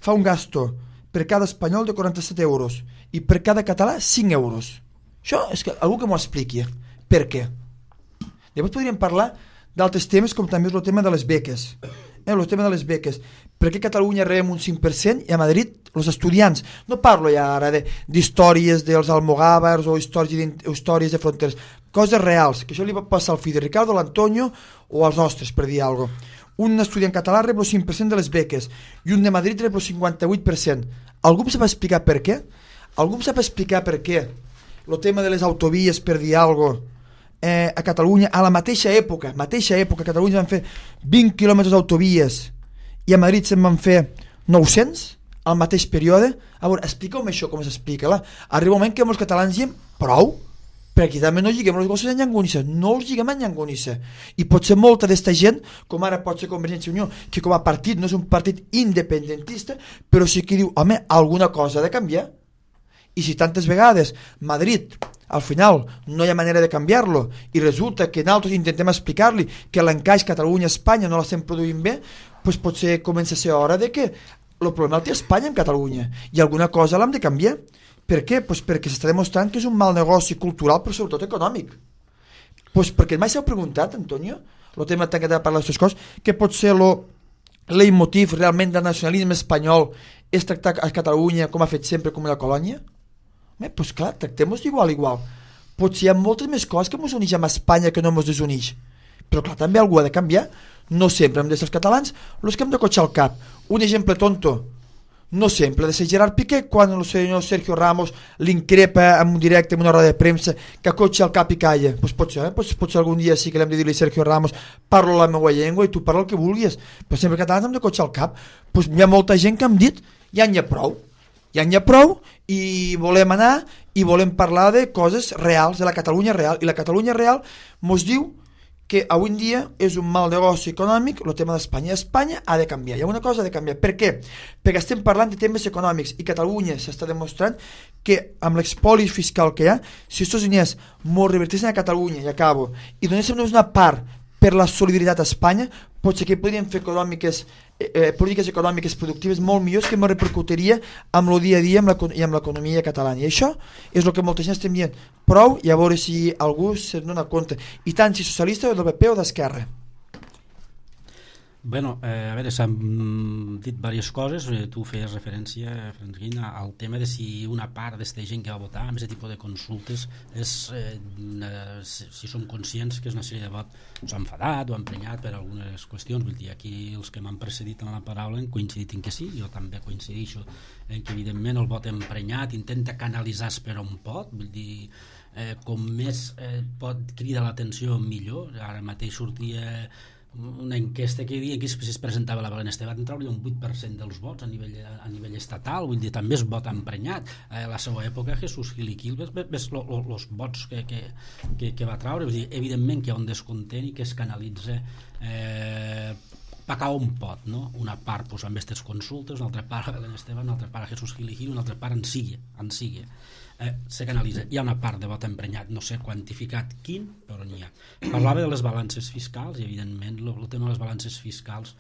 fa un gasto per cada espanyol de 47 euros i per cada català 5 euros. Això és que algú que m'ho expliqui. Per què? Llavors podríem parlar d'altres temes com també és el tema de les beques. El tema de les beques. Per què a Catalunya rebem un 5% i a Madrid els estudiants? No parlo ja ara d'històries dels almogàvers o històries de fronteres. Coses reals, que això li va passar al fill de Ricardo, a l'Antonio o als nostres, per dir alguna cosa. Un estudiant català rep el 5% de les beques i un de Madrid rep el 58%. Algú em sap explicar per què? Algú em sap explicar per què el tema de les autovies, per dir alguna cosa, a Catalunya, a la mateixa època, a Catalunya van fer 20 quilòmetres d'autovies i a Madrid se'n van fer 900 al mateix període? A veure, expliqueu-me això, com s'explica. Arriba un moment que molts catalans diem prou, perquè també no lliguem les coses a llangonissa, no els lliguem a llangonissa. I pot ser molta d'esta gent, com ara pot ser Convergència i Unió, que com a partit no és un partit independentista, però sí que diu, home, alguna cosa ha de canviar. I si tantes vegades Madrid al final no hi ha manera de canviar-lo i resulta que nosaltres intentem explicar-li que l'encaix Catalunya-Espanya no l'estem produint bé, doncs potser comença a ser hora de que el problema el té Espanya en Catalunya i alguna cosa l'hem de canviar. Per què? Doncs perquè s'està demostrant que és un mal negoci cultural però sobretot econòmic. Doncs perquè mai s'heu preguntat, Antonio, el tema tan que t'ha parlat d'aquestes coses, que pot ser el leitmotiv realment del nacionalisme espanyol és tractar a Catalunya com ha fet sempre, com una colònia? Doncs clar, tractem-nos igual. Potser hi ha moltes més coses que ens uneix amb Espanya que no ens desuneix. Però clar, també algú ha de canviar. No sempre hem de ser els catalans els que hem de cotxar el cap. Un exemple tonto. No sempre ha de ser Gerard Piqué quan el senyor Sergio Ramos l'increpa en un directe, en una roda de premsa, que cotxa el cap i calla. Potser algun dia sí que l'hem de dir-li Sergio Ramos, parlo la meva llengua i tu parla el que vulguis. Però sempre catalans hem de cotxar el cap. Hi ha molta gent que hem dit, ja n'hi ha prou i volem anar i volem parlar de coses reals, de la Catalunya real, i la Catalunya real mos diu que avui en dia és un mal negoci econòmic el tema d'Espanya. Espanya ha de canviar, hi ha una cosa ha de canviar. Per què? Perquè estem parlant de temes econòmics i Catalunya s'està demostrant que amb l'expoli fiscal que hi ha, si aquests diners mos revertissin a Catalunya, i acabo, i donéssim una part per la solidaritat a Espanya, potser que podríem fer polítiques econòmiques productives molt millors que me repercutiria amb el dia a dia i amb l'economia catalana. I això és el que molta gent estem dient. Prou, i a veure si algú se'n dona compte. I tant si socialista o del PP o d'Esquerra. Bueno, a veure, s'han dit diverses coses. Tu feies referència, Francesquín, al tema de si una part d'esta gent que va votar amb aquest tipus de consultes si som conscients que és una sèrie de vots s'ha enfadat o emprenyat per algunes qüestions. Vull dir, aquí els que m'han precedit en la paraula han coincidit en que sí, jo també coincideixo en que evidentment el vot emprenyat intenta canalitzar per on pot, vull dir, com més pot cridar l'atenció millor. Ara mateix sortia una enquesta que deia que si es presentava la Belén Esteban trauria un 8% dels vots a nivell estatal, vull dir, també es vota emprenyat. A la seva època Jesús Gil i Quil ves els vots que va traure, vull dir, evidentment que hi ha un descontent i que es canalitza pa on pot, no? Una part pues, amb aquestes consultes, una altra part a Belén Esteban, una altra part a Jesús Gil i Gil, una altra part en Sigue. Se canalitza. Hi ha una part de vot emprenyat, no sé quantificat quin, però n'hi ha. Parlava de les balances fiscals i evidentment el tema de les balances fiscals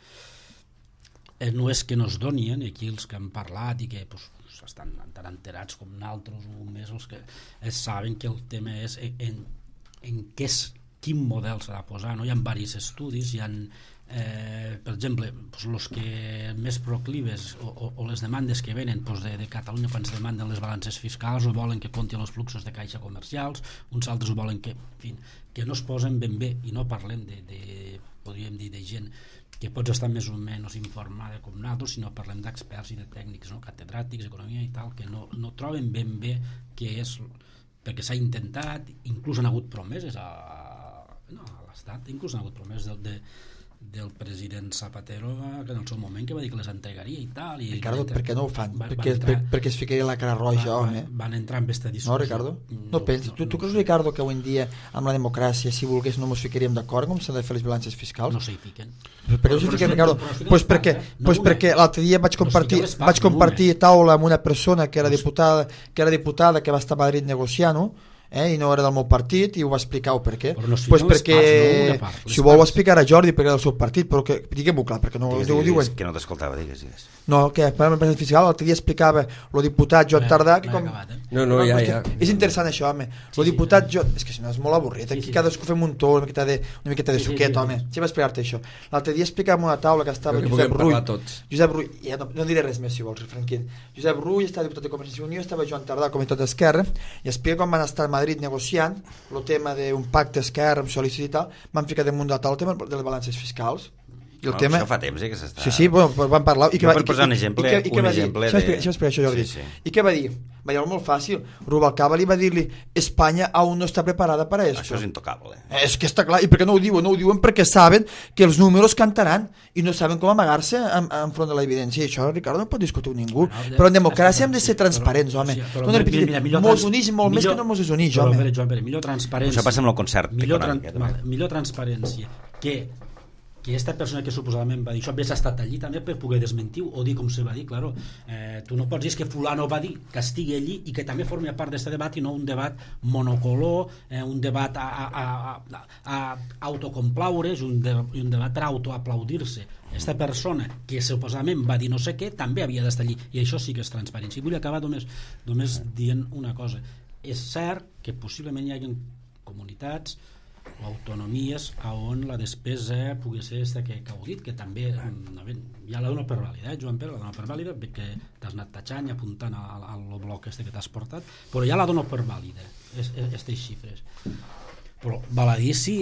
no és que no es donien, i aquí els que han parlat i que pues, estan tan enterats com nosaltres o més els que saben que el tema és en quin model s'ha de posar, no? Hi ha diversos estudis, hi ha per exemple, els que més proclives o les demandes que venen de Catalunya quan es demanden les balances fiscals o volen que comptin els fluxos de caixa comercials, uns altres ho volen que no es posen ben bé, i no parlem podríem dir de gent que pots estar més o menys informada com nosaltres, sinó parlem d'experts i de tècnics, no? Catedràtics, economia i tal, que no troben ben bé què és, perquè s'ha intentat, inclús han hagut promeses a l'Estat, inclús han hagut promeses del president Zapatero que en el seu moment que va dir que les entregaria i tal. Ricardo, per què no ho fan? Perquè es ficaria la cara roja, home. Van entrar en aquesta discussió. No, Ricardo? No pensis. Tu creus, Ricardo, que avui en dia amb la democràcia, si volgués, no ens ficaríem d'acord com s'han de fer les balances fiscals? No s'hi fiquen. Per què no s'hi fiquen, Ricardo? Perquè l'altre dia vaig compartir taula amb una persona que era diputada que va estar a Madrid negociant-ho, i no era del meu partit, i ho va explicar per què. Perquè si ho vol explicar a Jordi perquè era del seu partit, però diguem-ho clar, perquè no ho diuen. Que no t'escoltava, digues. No, que per l'empresa fiscal l'altre dia explicava el diputat Joan Tardà que com... ja. És interessant això, home. El diputat és que si no és molt avorrit, aquí cadascú fem un to, una miqueta de suquet, home. Sí, va explicar-te això. L'altre dia explicàvem una taula que estava Josep Rull, no diré res més si vols, Franquín. Josep Rull estava diputat de Convergència i Unió, estava Joan Tardà, comitat d'Esquerra, i explica com van estar a Madrid negociant el tema d'un pacte Esquerra amb socialistes i tal, van ficar damunt de tal el tema de les balances fiscals. I el tema... Això fa temps que s'està... Sí, bueno, van parlar... Per posar un exemple de... Això això, Jordi. I què va dir? Va dir molt fàcil. Rubalcaba li va dir-li Espanya aún no està preparada per a esto. Això és intocable. És que està clar. I per què no ho diuen? No ho diuen perquè saben que els números cantaran i no saben com amagar-se enfront de l'evidència. I això, Ricardo, no pot discutir ningú. Però en democràcia hem de ser transparents, home. Mos unix molt més que no mos desunix, home. Millor transparència. Això passa amb el concert econòmic. Millor transparència que aquesta persona que suposadament va dir això hagués estat allí també per poder desmentir o dir com se va dir, claro. Tu no pots dir que fulano va dir que estigui allí i que també formi part d'aquest debat i no un debat monocolor, un debat a autocomplaure's, un debat per autoaplaudir-se. Aquesta persona que suposadament va dir no sé què també havia d'estar allí, i això sí que és transparència. I vull acabar només dient una cosa. És cert que possiblement hi hagi comunitats o autonomies on la despesa pugui ser aquesta que heu dit, que també ja la dono per vàlida, Joan Pere, la dono per vàlida perquè t'has anat tachant i apuntant al bloc este que t'has portat, però ja la dono per vàlida, aquestes xifres. Però val a dir si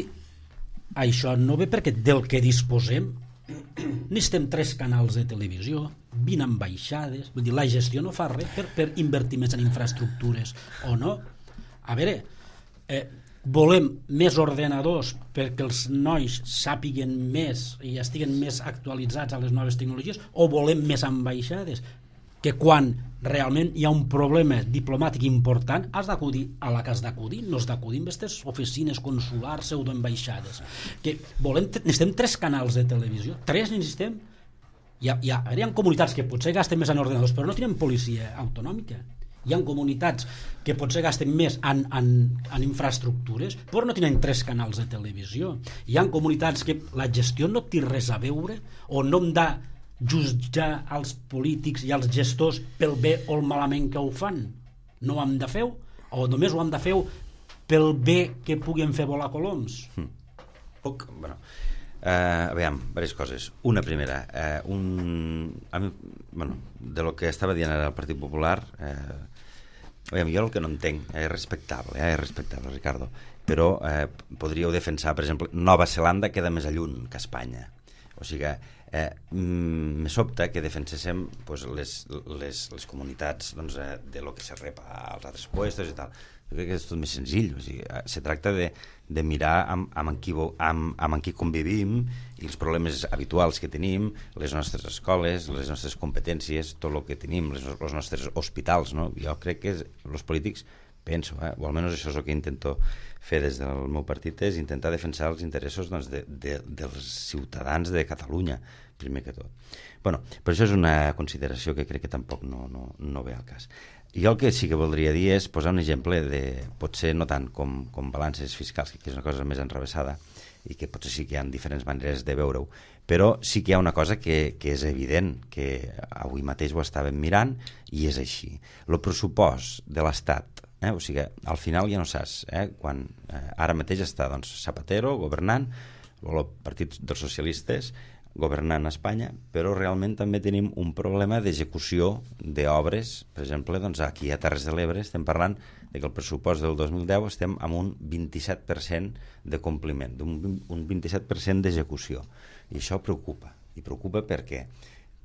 això no ve perquè del que disposem necessitem 3 canals de televisió, 20 ambaixades, vull dir, la gestió no fa res per invertir més en infraestructures o no. A veure, volem més ordenadors perquè els nois sàpiguen més i estiguen més actualitzats a les noves tecnologies, o volem més ambaixades que quan realment hi ha un problema diplomàtic important has d'acudir a la que has d'acudir, no has d'acudir en aquestes oficines consulars pseudoambaixades, que necessitem 3 canals de televisió, 3 necessitem. Hi ha comunitats que potser gasten més en ordenadors però no tenen policia autonòmica. Hi ha comunitats que potser gasten més en infraestructures però no tenen 3 canals de televisió. Hi ha comunitats que la gestió no té res a veure, o no hem de jutjar els polítics i els gestors pel bé o el malament que ho fan. No ho hem de fer, o només ho hem de fer pel bé que puguin fer volar coloms. Aviam, diverses coses. Una primera, de lo que estava dient ara el Partit Popular, jo el que no entenc és respectable, Ricardo, però podríeu defensar, per exemple, Nova Zelanda queda més lluny que Espanya. O sigui, me sobta que defenséssim les comunitats de lo que se rep als altres puestos i tal. Jo crec que és tot més senzill. O sigui, se tracta de mirar amb qui convivim i els problemes habituals que tenim, les nostres escoles, les nostres competències, tot el que tenim, els nostres hospitals, no? Jo crec que els polítics, penso, o almenys això és el que intento fer des del meu partit, és intentar defensar els interessos dels ciutadans de Catalunya, primer que tot. Però això és una consideració que crec que tampoc no ve al cas. Jo el que sí que voldria dir és posar un exemple de, potser no tant com balances fiscals, que és una cosa més enrevessada i que potser sí que hi ha diferents maneres de veure-ho, però sí que hi ha una cosa que és evident, que avui mateix ho estàvem mirant i és així. El pressupost de l'Estat, o sigui, al final ja no saps, quan ara mateix està Zapatero governant, o el Partit dels Socialistes governant a Espanya, però realment també tenim un problema d'execució d'obres. Per exemple, aquí a Terres de l'Ebre estem parlant de que el pressupost del 2010 estem amb un 27% de compliment, un 27% d'execució, i això preocupa. I preocupa per què?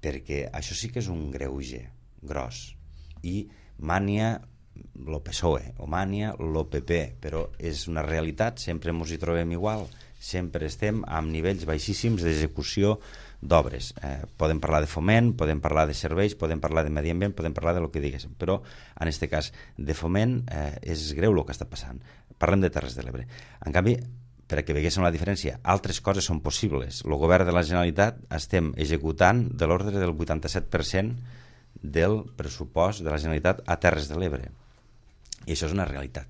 Perquè això sí que és un greuge gros, i mania el PSOE o mania el PP, però és una realitat, sempre ens hi trobem igual, sempre estem amb nivells baixíssims d'execució d'obres. Podem parlar de foment, podem parlar de serveis, podem parlar de medi ambient, podem parlar de lo que diguéssim, però en aquest cas de foment és greu el que està passant. Parlem de Terres de l'Ebre. En canvi, per a que veiéssim la diferència, altres coses són possibles. El govern de la Generalitat estem executant de l'ordre del 87% del pressupost de la Generalitat a Terres de l'Ebre. I això és una realitat.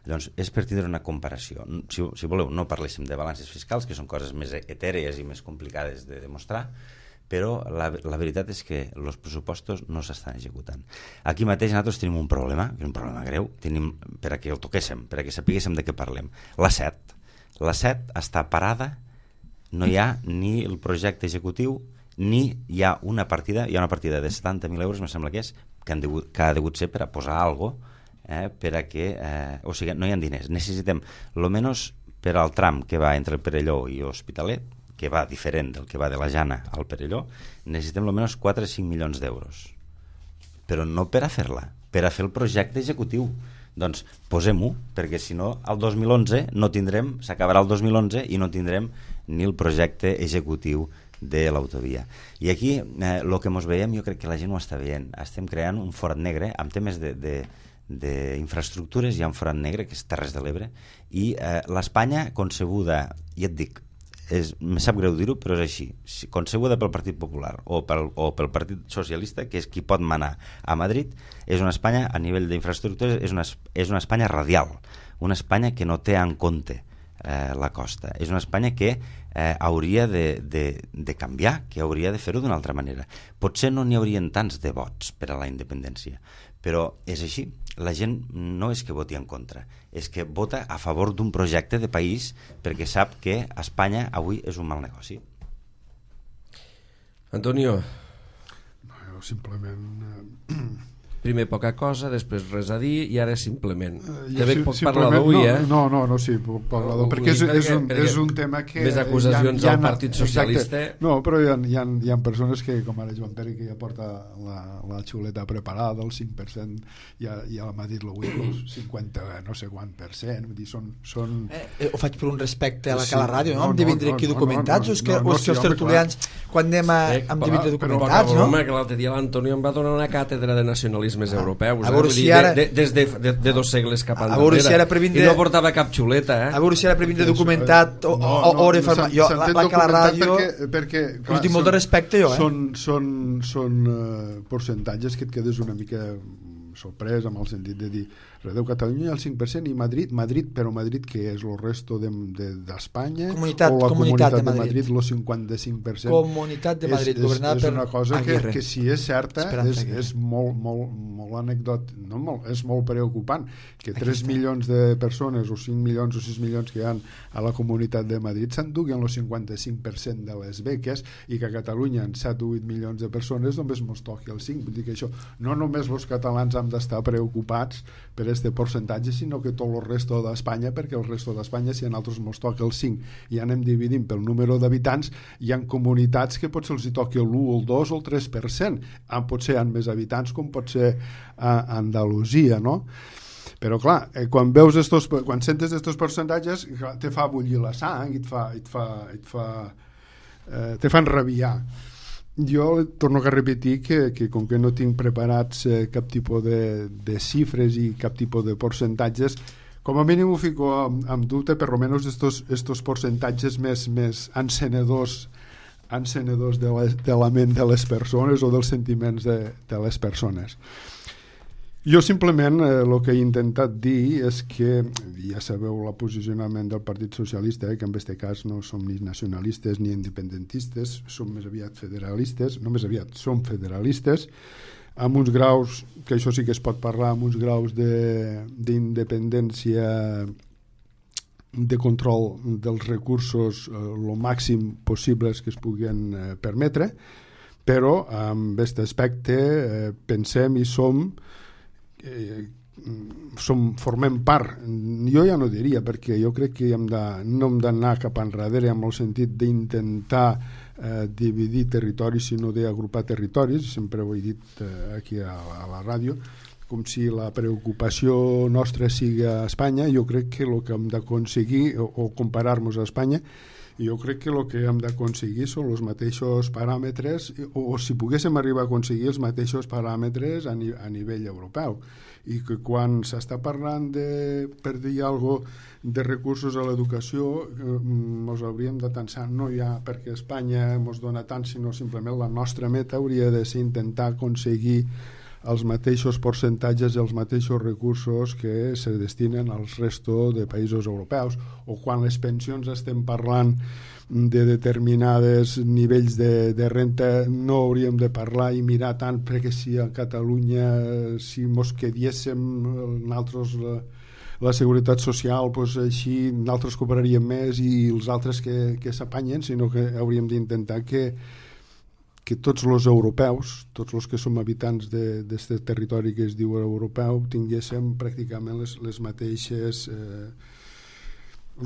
Llavors, és per tindre una comparació. Si voleu, no parléssim de balances fiscals, que són coses més etèries i més complicades de demostrar, però la veritat és que els pressupostos no s'estan executant. Aquí mateix nosaltres tenim un problema greu, per a que el toquéssim, per a que sapiguéssim de què parlem. La SET està parada, no hi ha ni el projecte executiu, ni hi ha una partida de 70.000 euros, me sembla que és, que ha degut ser per a posar alguna cosa, per a que, o sigui, no hi ha diners. Necessitem, almenys per al tram que va entre el Perelló i l'Hospitalet, que va diferent del que va de la Jana al Perelló, necessitem almenys 4 o 5 milions d'euros. Però no per a fer-la, per a fer el projecte executiu. Doncs posem-ho, perquè si no, el 2011 no tindrem, s'acabarà el 2011 i no tindrem ni el projecte executiu de l'autovia. I aquí, el que ens veiem, jo crec que la gent ho està veient. Estem creant un forat negre amb temes d'infraestructures. Hi ha un forat negre que és Terres de l'Ebre, i l'Espanya concebuda, ja et dic, me sap greu dir-ho, però és així, concebuda pel Partit Popular o pel Partit Socialista, que és qui pot manar a Madrid, és una Espanya a nivell d'infraestructures, és una Espanya radial, una Espanya que no té en compte la costa, és una Espanya que hauria de canviar, que hauria de fer-ho d'una altra manera. Potser no n'hi haurien tants de vots per a la independència, però és així. La gent no és que voti en contra, és que vota a favor d'un projecte de país perquè sap que Espanya avui és un mal negoci. Antonio. No, simplement... Primer poca cosa, després res a dir i ara simplement. També poc parlar d'avui, No, sí, puc parlar d'avui, perquè és un tema que... Més acusacions al Partit Socialista. Exacte. No, però hi ha persones que, com ara Joan Pere, que ja porta la xuleta preparada, el 5%, ja m'ha dit l'avui, el 50 no sé quant per cent, vull dir, són... Ho faig per un respecte a la Cala Ràdio, no? Hem de vindre aquí documentats, o és que els tertulians, quan anem hem de vindre documentats, no? Que l'altre dia l'Antonio em va donar una càtedra de nacionalismes europeus, a veure si ara... des de 2 segles cap enrere. A veure si ara per vindre... I no portava cap xuleta, A veure si ara per vindre documentat o la Cala Ràdio... Perquè us tinc molt de respecte, jo, Són percentatges que et quedes una mica sorprès amb el sentit de dir Redeu Catalunya el 5% i Madrid, però Madrid que és el resto d'Espanya o la comunitat de Madrid el 55%. Comunitat de Madrid governada per una cosa que si és certa és molt anecdòtic, és molt preocupant que 3 milions de persones o 5 milions o 6 milions que hi ha a la comunitat de Madrid s'enduguen el 55% de les beques i que a Catalunya en 7 o 8 milions de persones només mos toqui el 5%. Vull dir que això no només els catalans hem d'estar preocupats per este percentatge, sinó que tot el resto d'Espanya, perquè el resto d'Espanya, si a nosaltres ens toca el 5 i anem dividint pel número d'habitants, hi ha comunitats que potser els hi toqui l'1, el 2 o el 3%. Potser hi ha més habitants, com pot ser a Andalusia, no? Però clar, quan sentes estos percentatges te fa bullir la sang i te fan rabiar. Jo torno a repetir que com que no tinc preparats cap tipus de xifres i cap tipus de percentatges, com a mínim ho fico amb dubte, per almenys estos percentatges més encenedors de la ment de les persones o dels sentiments de les persones. Jo simplement el que he intentat dir és que, ja sabeu el posicionament del Partit Socialista, que en aquest cas no som ni nacionalistes ni independentistes, som més aviat federalistes, no més aviat, som federalistes, amb uns graus, que això sí que es pot parlar, amb uns graus d'independència, de control dels recursos el màxim possibles que es puguin permetre, però en aquest aspecte pensem i formem part. Jo ja no diria, perquè jo crec que no hem d'anar cap enrere amb el sentit d'intentar dividir territoris, sinó d'agrupar territoris. Sempre ho he dit aquí a la ràdio, com si la preocupació nostra sigui a Espanya. Jo crec que el que hem d'aconseguir, o comparar-nos a Espanya, jo crec que el que hem d'aconseguir són els mateixos paràmetres, o si poguéssim arribar a aconseguir els mateixos paràmetres a nivell europeu, i que quan s'està parlant per dir alguna cosa de recursos a l'educació ens hauríem de pensar no ja perquè Espanya ens dona tant, sinó simplement la nostra meta hauria de ser intentar aconseguir els mateixos percentatges i els mateixos recursos que se destinen als resto de països europeus. O quan les pensions estem parlant de determinades nivells de renta, no hauríem de parlar i mirar tant perquè si a Catalunya si mos quediéssim nosaltres la seguretat social, doncs així nosaltres cobraríem més i els altres que s'apanyen, sinó que hauríem d'intentar que tots els europeus, tots els que som habitants d'aquest territori que es diu europeu, tinguéssim pràcticament els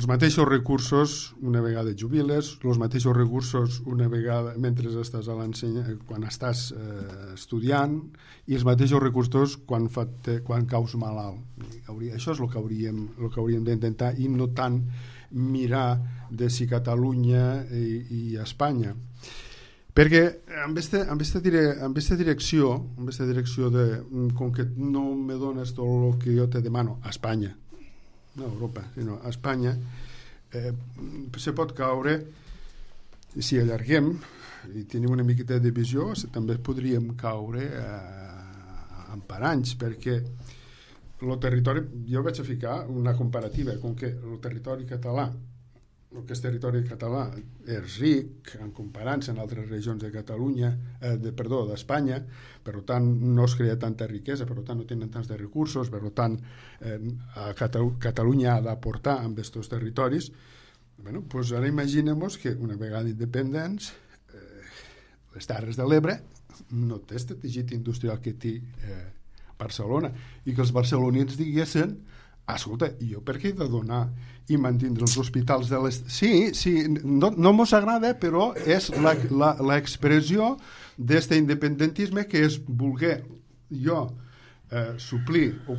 mateixos recursos una vegada jubiles, els mateixos recursos una vegada mentre estàs quan estàs estudiant, i els mateixos recursos quan caus malalt. Això és el que hauríem d'intentar, i no tant mirar de si Catalunya i Espanya. Perquè en aquesta direcció com que no me dones tot el que jo te demano a Espanya, no a Europa, sinó a Espanya, se pot caure, si allarguem i tenim una miqueta de visió, també podríem caure en paranys, perquè el territori, jo vaig a ficar una comparativa, com que el territori català el que és territori català és ric en comparança amb altres regions de Catalunya, d'Espanya, per tant no es crea tanta riquesa, per tant no tenen tants de recursos, per tant Catalunya ha d'aportar amb aquests territoris. Bueno, doncs ara imaginem-nos que una vegada independents les Terres de l'Ebre no té este teixit industrial que té Barcelona, i que els barcelonins diguessin: escolta, jo per què he de donar i mantindre els hospitals de les... Sí, no mos agrada, però és l'expressió d'este independentisme, que és voler jo suplir o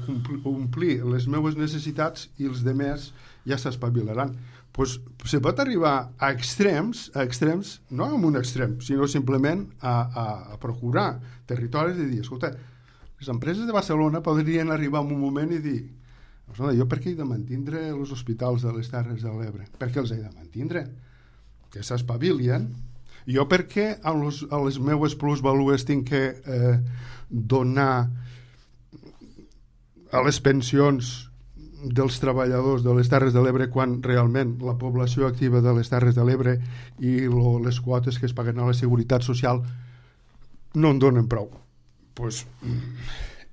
omplir les meves necessitats i els demés ja s'espavilaran. Pues se pot arribar a extrems, no en un extrem, sinó simplement a procurar territoris i dir: escolta, les empreses de Barcelona podrien arribar en un moment i dir: jo per què he de mantindre els hospitals de les Terres de l'Ebre? Per què els he de mantindre? Que s'espavilien. Jo per què a les meues plusvalues tinc que donar a les pensions dels treballadors de les Terres de l'Ebre quan realment la població activa de les Terres de l'Ebre i les quotes que es paguen a la Seguretat Social no en donen prou? Pues,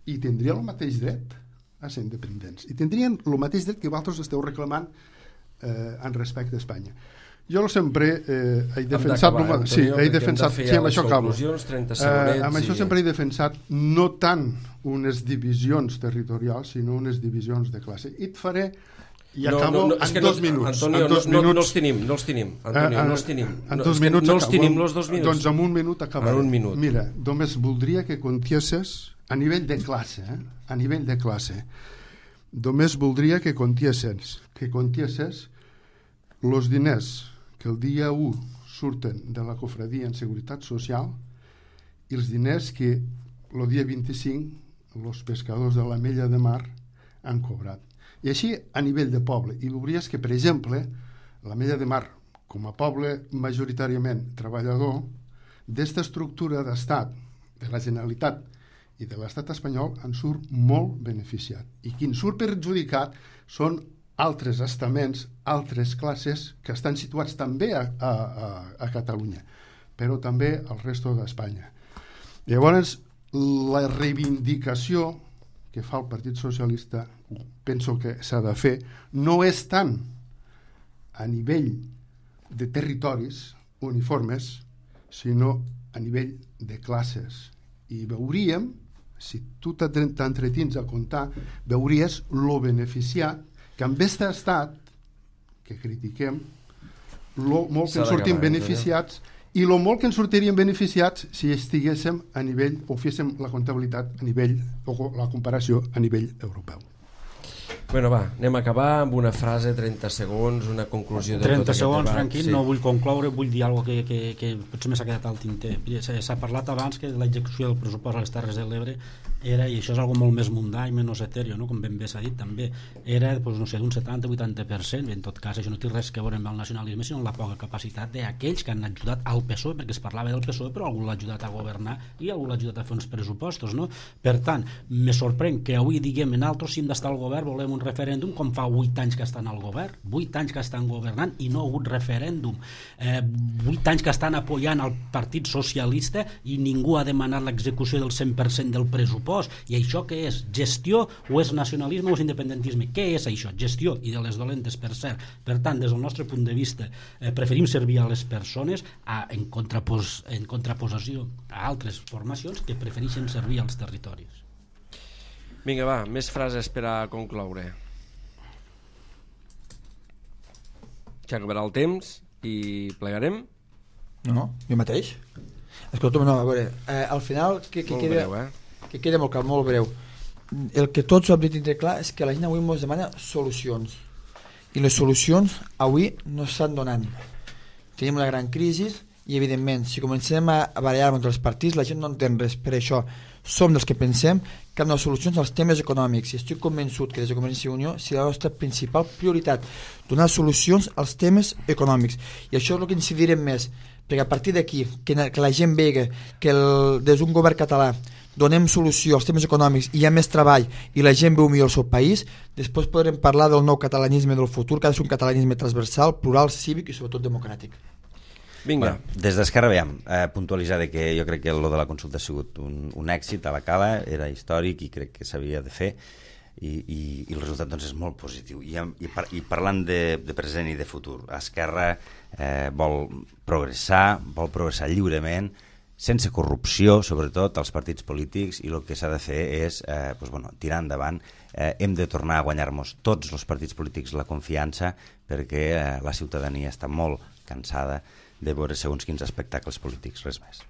i tindria el mateix dret a ser independents, i tindrien el mateix dret que vosaltres esteu reclamant en respecte a Espanya. Jo sempre he defensat... amb això acabo. Amb això sempre he defensat no tant unes divisions territorials, sinó unes divisions de classe. I et faré... I acabo en 2 minuts. Antonio, no els tenim. Antonio, no els tenim. En 2 minuts no els tenim, els 2 minuts. Doncs en 1 minut acabaré. En 1 minut. Mira, només voldria que contiesses a nivell de classe, a nivell de classe, només voldria que contiesses els diners que el dia 1 surten de la cofradia en Seguretat Social i els diners que el dia 25 els pescadors de l'Ametlla de Mar han cobrat. I així a nivell de poble. I veuries que, per exemple, l'Ametlla de Mar, com a poble majoritàriament treballador, d'esta estructura d'estat, de la Generalitat i de l'estat espanyol, en surt molt beneficiat. I qui en surt perjudicat són altres estaments, altres classes que estan situats també a Catalunya, però també al resto d'Espanya. Llavors, la reivindicació que fa el Partit Socialista, penso que s'ha de fer, no és tant a nivell de territoris uniformes, sinó a nivell de classes. I veuríem, si tu t'entretins a comptar, veuries lo beneficiat que amb aquest estat que critiquem, molt que en sortim beneficiats, i el molt que ens sortirien beneficiats si estiguéssim a nivell, o féssim la comptabilitat a nivell, o la comparació a nivell europeu. Bueno, va, anem a acabar amb una frase, 30 segons, una conclusió de 30 tot aquest segons, debat. tranquil, sí. No vull concloure, vull dir alguna cosa que potser m'ha quedat al tinter. S'ha parlat abans que l'execució del pressupost a les Terres de l'Ebre era, i això és algo molt més mundà i menys etèreo, no? Com ben bé s'ha dit també, era doncs, no sé, d'un 70-80%, en tot cas això no té res que veure amb el nacionalisme, sinó amb la poca capacitat d'aquells que han ajudat al PSOE, perquè es parlava del PSOE, però algú l'ha ajudat a governar i algú l'ha ajudat a fer uns pressupostos, no? Per tant, me sorprèn que avui diguem en altres, si hem d'estar al govern, volem un referèndum, com fa 8 anys que estan al govern, 8 anys que estan governant i no ha hagut referèndum, 8 anys que estan apoyant el Partit Socialista i ningú ha demanat l'execució del 100% del pressupost. I això què és? Gestió o és nacionalisme o és independentisme? Què és això? Gestió, i de les dolentes, per cert. Per tant, des del nostre punt de vista, preferim servir a les persones en contraposició a altres formacions que prefereixen servir als territoris. Vinga, va, més frases per a concloure. Ja acabarà el temps i plegarem? No, jo mateix. Escolta, no, a veure, al final que queda molt breu. El que tots ho hem dit clar és que la gent avui ens demana solucions, i les solucions avui no estan donant. Tenim una gran crisi i evidentment si comencem a barallar entre els partits la gent no entén res. Per això som dels que pensem que han de solucions als temes econòmics, i estic convençut que des de Convergència i Unió serà la nostra principal prioritat, donar solucions als temes econòmics, i això és el que incidirem més, perquè a partir d'aquí, que la gent vegi que des d'un govern català donem solució als temes econòmics i hi ha més treball i la gent veu millor el seu país, després podrem parlar del nou catalanisme del futur, que ha de ser un catalanisme transversal, plural, cívic i sobretot democràtic. Vinga. Bueno, des d'Esquerra, veiem, puntualitzar que jo crec que lo de la consulta ha sigut un èxit a la Cala, era històric i crec que s'havia de fer, i el resultat doncs, és molt positiu. I parlant de present i de futur, Esquerra vol progressar lliurement, sense corrupció, sobretot als partits polítics, i el que s'ha de fer és tirar endavant. Hem de tornar a guanyar-nos tots els partits polítics la confiança, perquè la ciutadania està molt cansada de veure segons quins espectacles polítics, res més.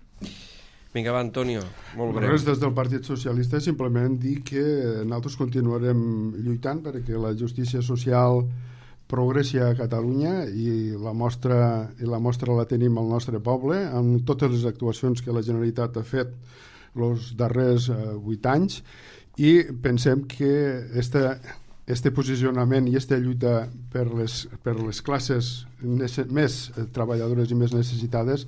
Vinga, va, Antonio, molt breu. Res, des del Partit Socialista simplement dir que nosaltres continuarem lluitant perquè la justícia social progressi a Catalunya i la mostra la tenim al nostre poble amb totes les actuacions que la Generalitat ha fet els darrers 8 anys, i pensem que este posicionament i esta lluita per les classes més treballadores i més necessitades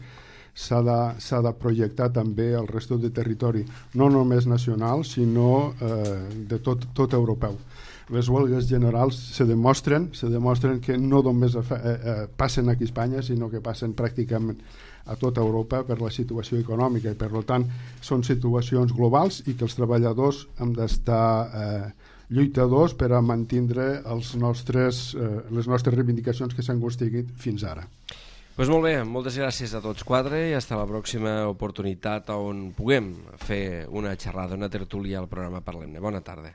s'ha de projectar també al resto de territori, no només nacional sinó de tot europeu. Les huelgues generals se demostren que no només passen aquí a Espanya, sinó que passen pràcticament a tota Europa per la situació econòmica, i per tant són situacions globals i que els treballadors hem d'estar lluitadors per a mantindre les nostres reivindicacions que s'han aconseguit fins ara. Pues molt bé, moltes gràcies a tots quatre i fins la pròxima oportunitat on puguem fer una xerrada, una tertúlia al programa Parlem-ne. Bona tarda.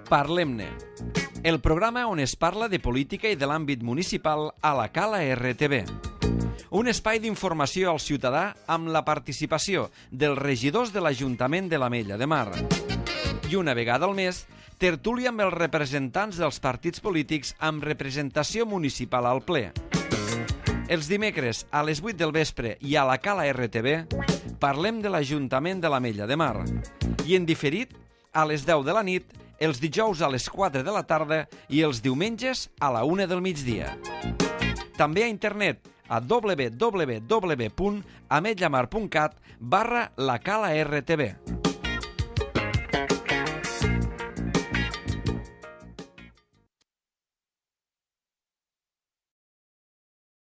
Parlem-ne, el programa on es parla de política i de l'àmbit municipal a la Cala RTV. Un espai d'informació al ciutadà amb la participació dels regidors de l'Ajuntament de l'Ametlla de Mar. I una vegada al mes, tertúlia amb els representants dels partits polítics amb representació municipal al ple. Els dimecres a les 8 del vespre i a la Cala RTV parlem de l'Ajuntament de l'Ametlla de Mar. I en diferit a les 10 de la nit, els dijous a les 4 de la tarda i els diumenges a la 1 del migdia. També a internet a www.ametllamar.cat/la Cala RTV.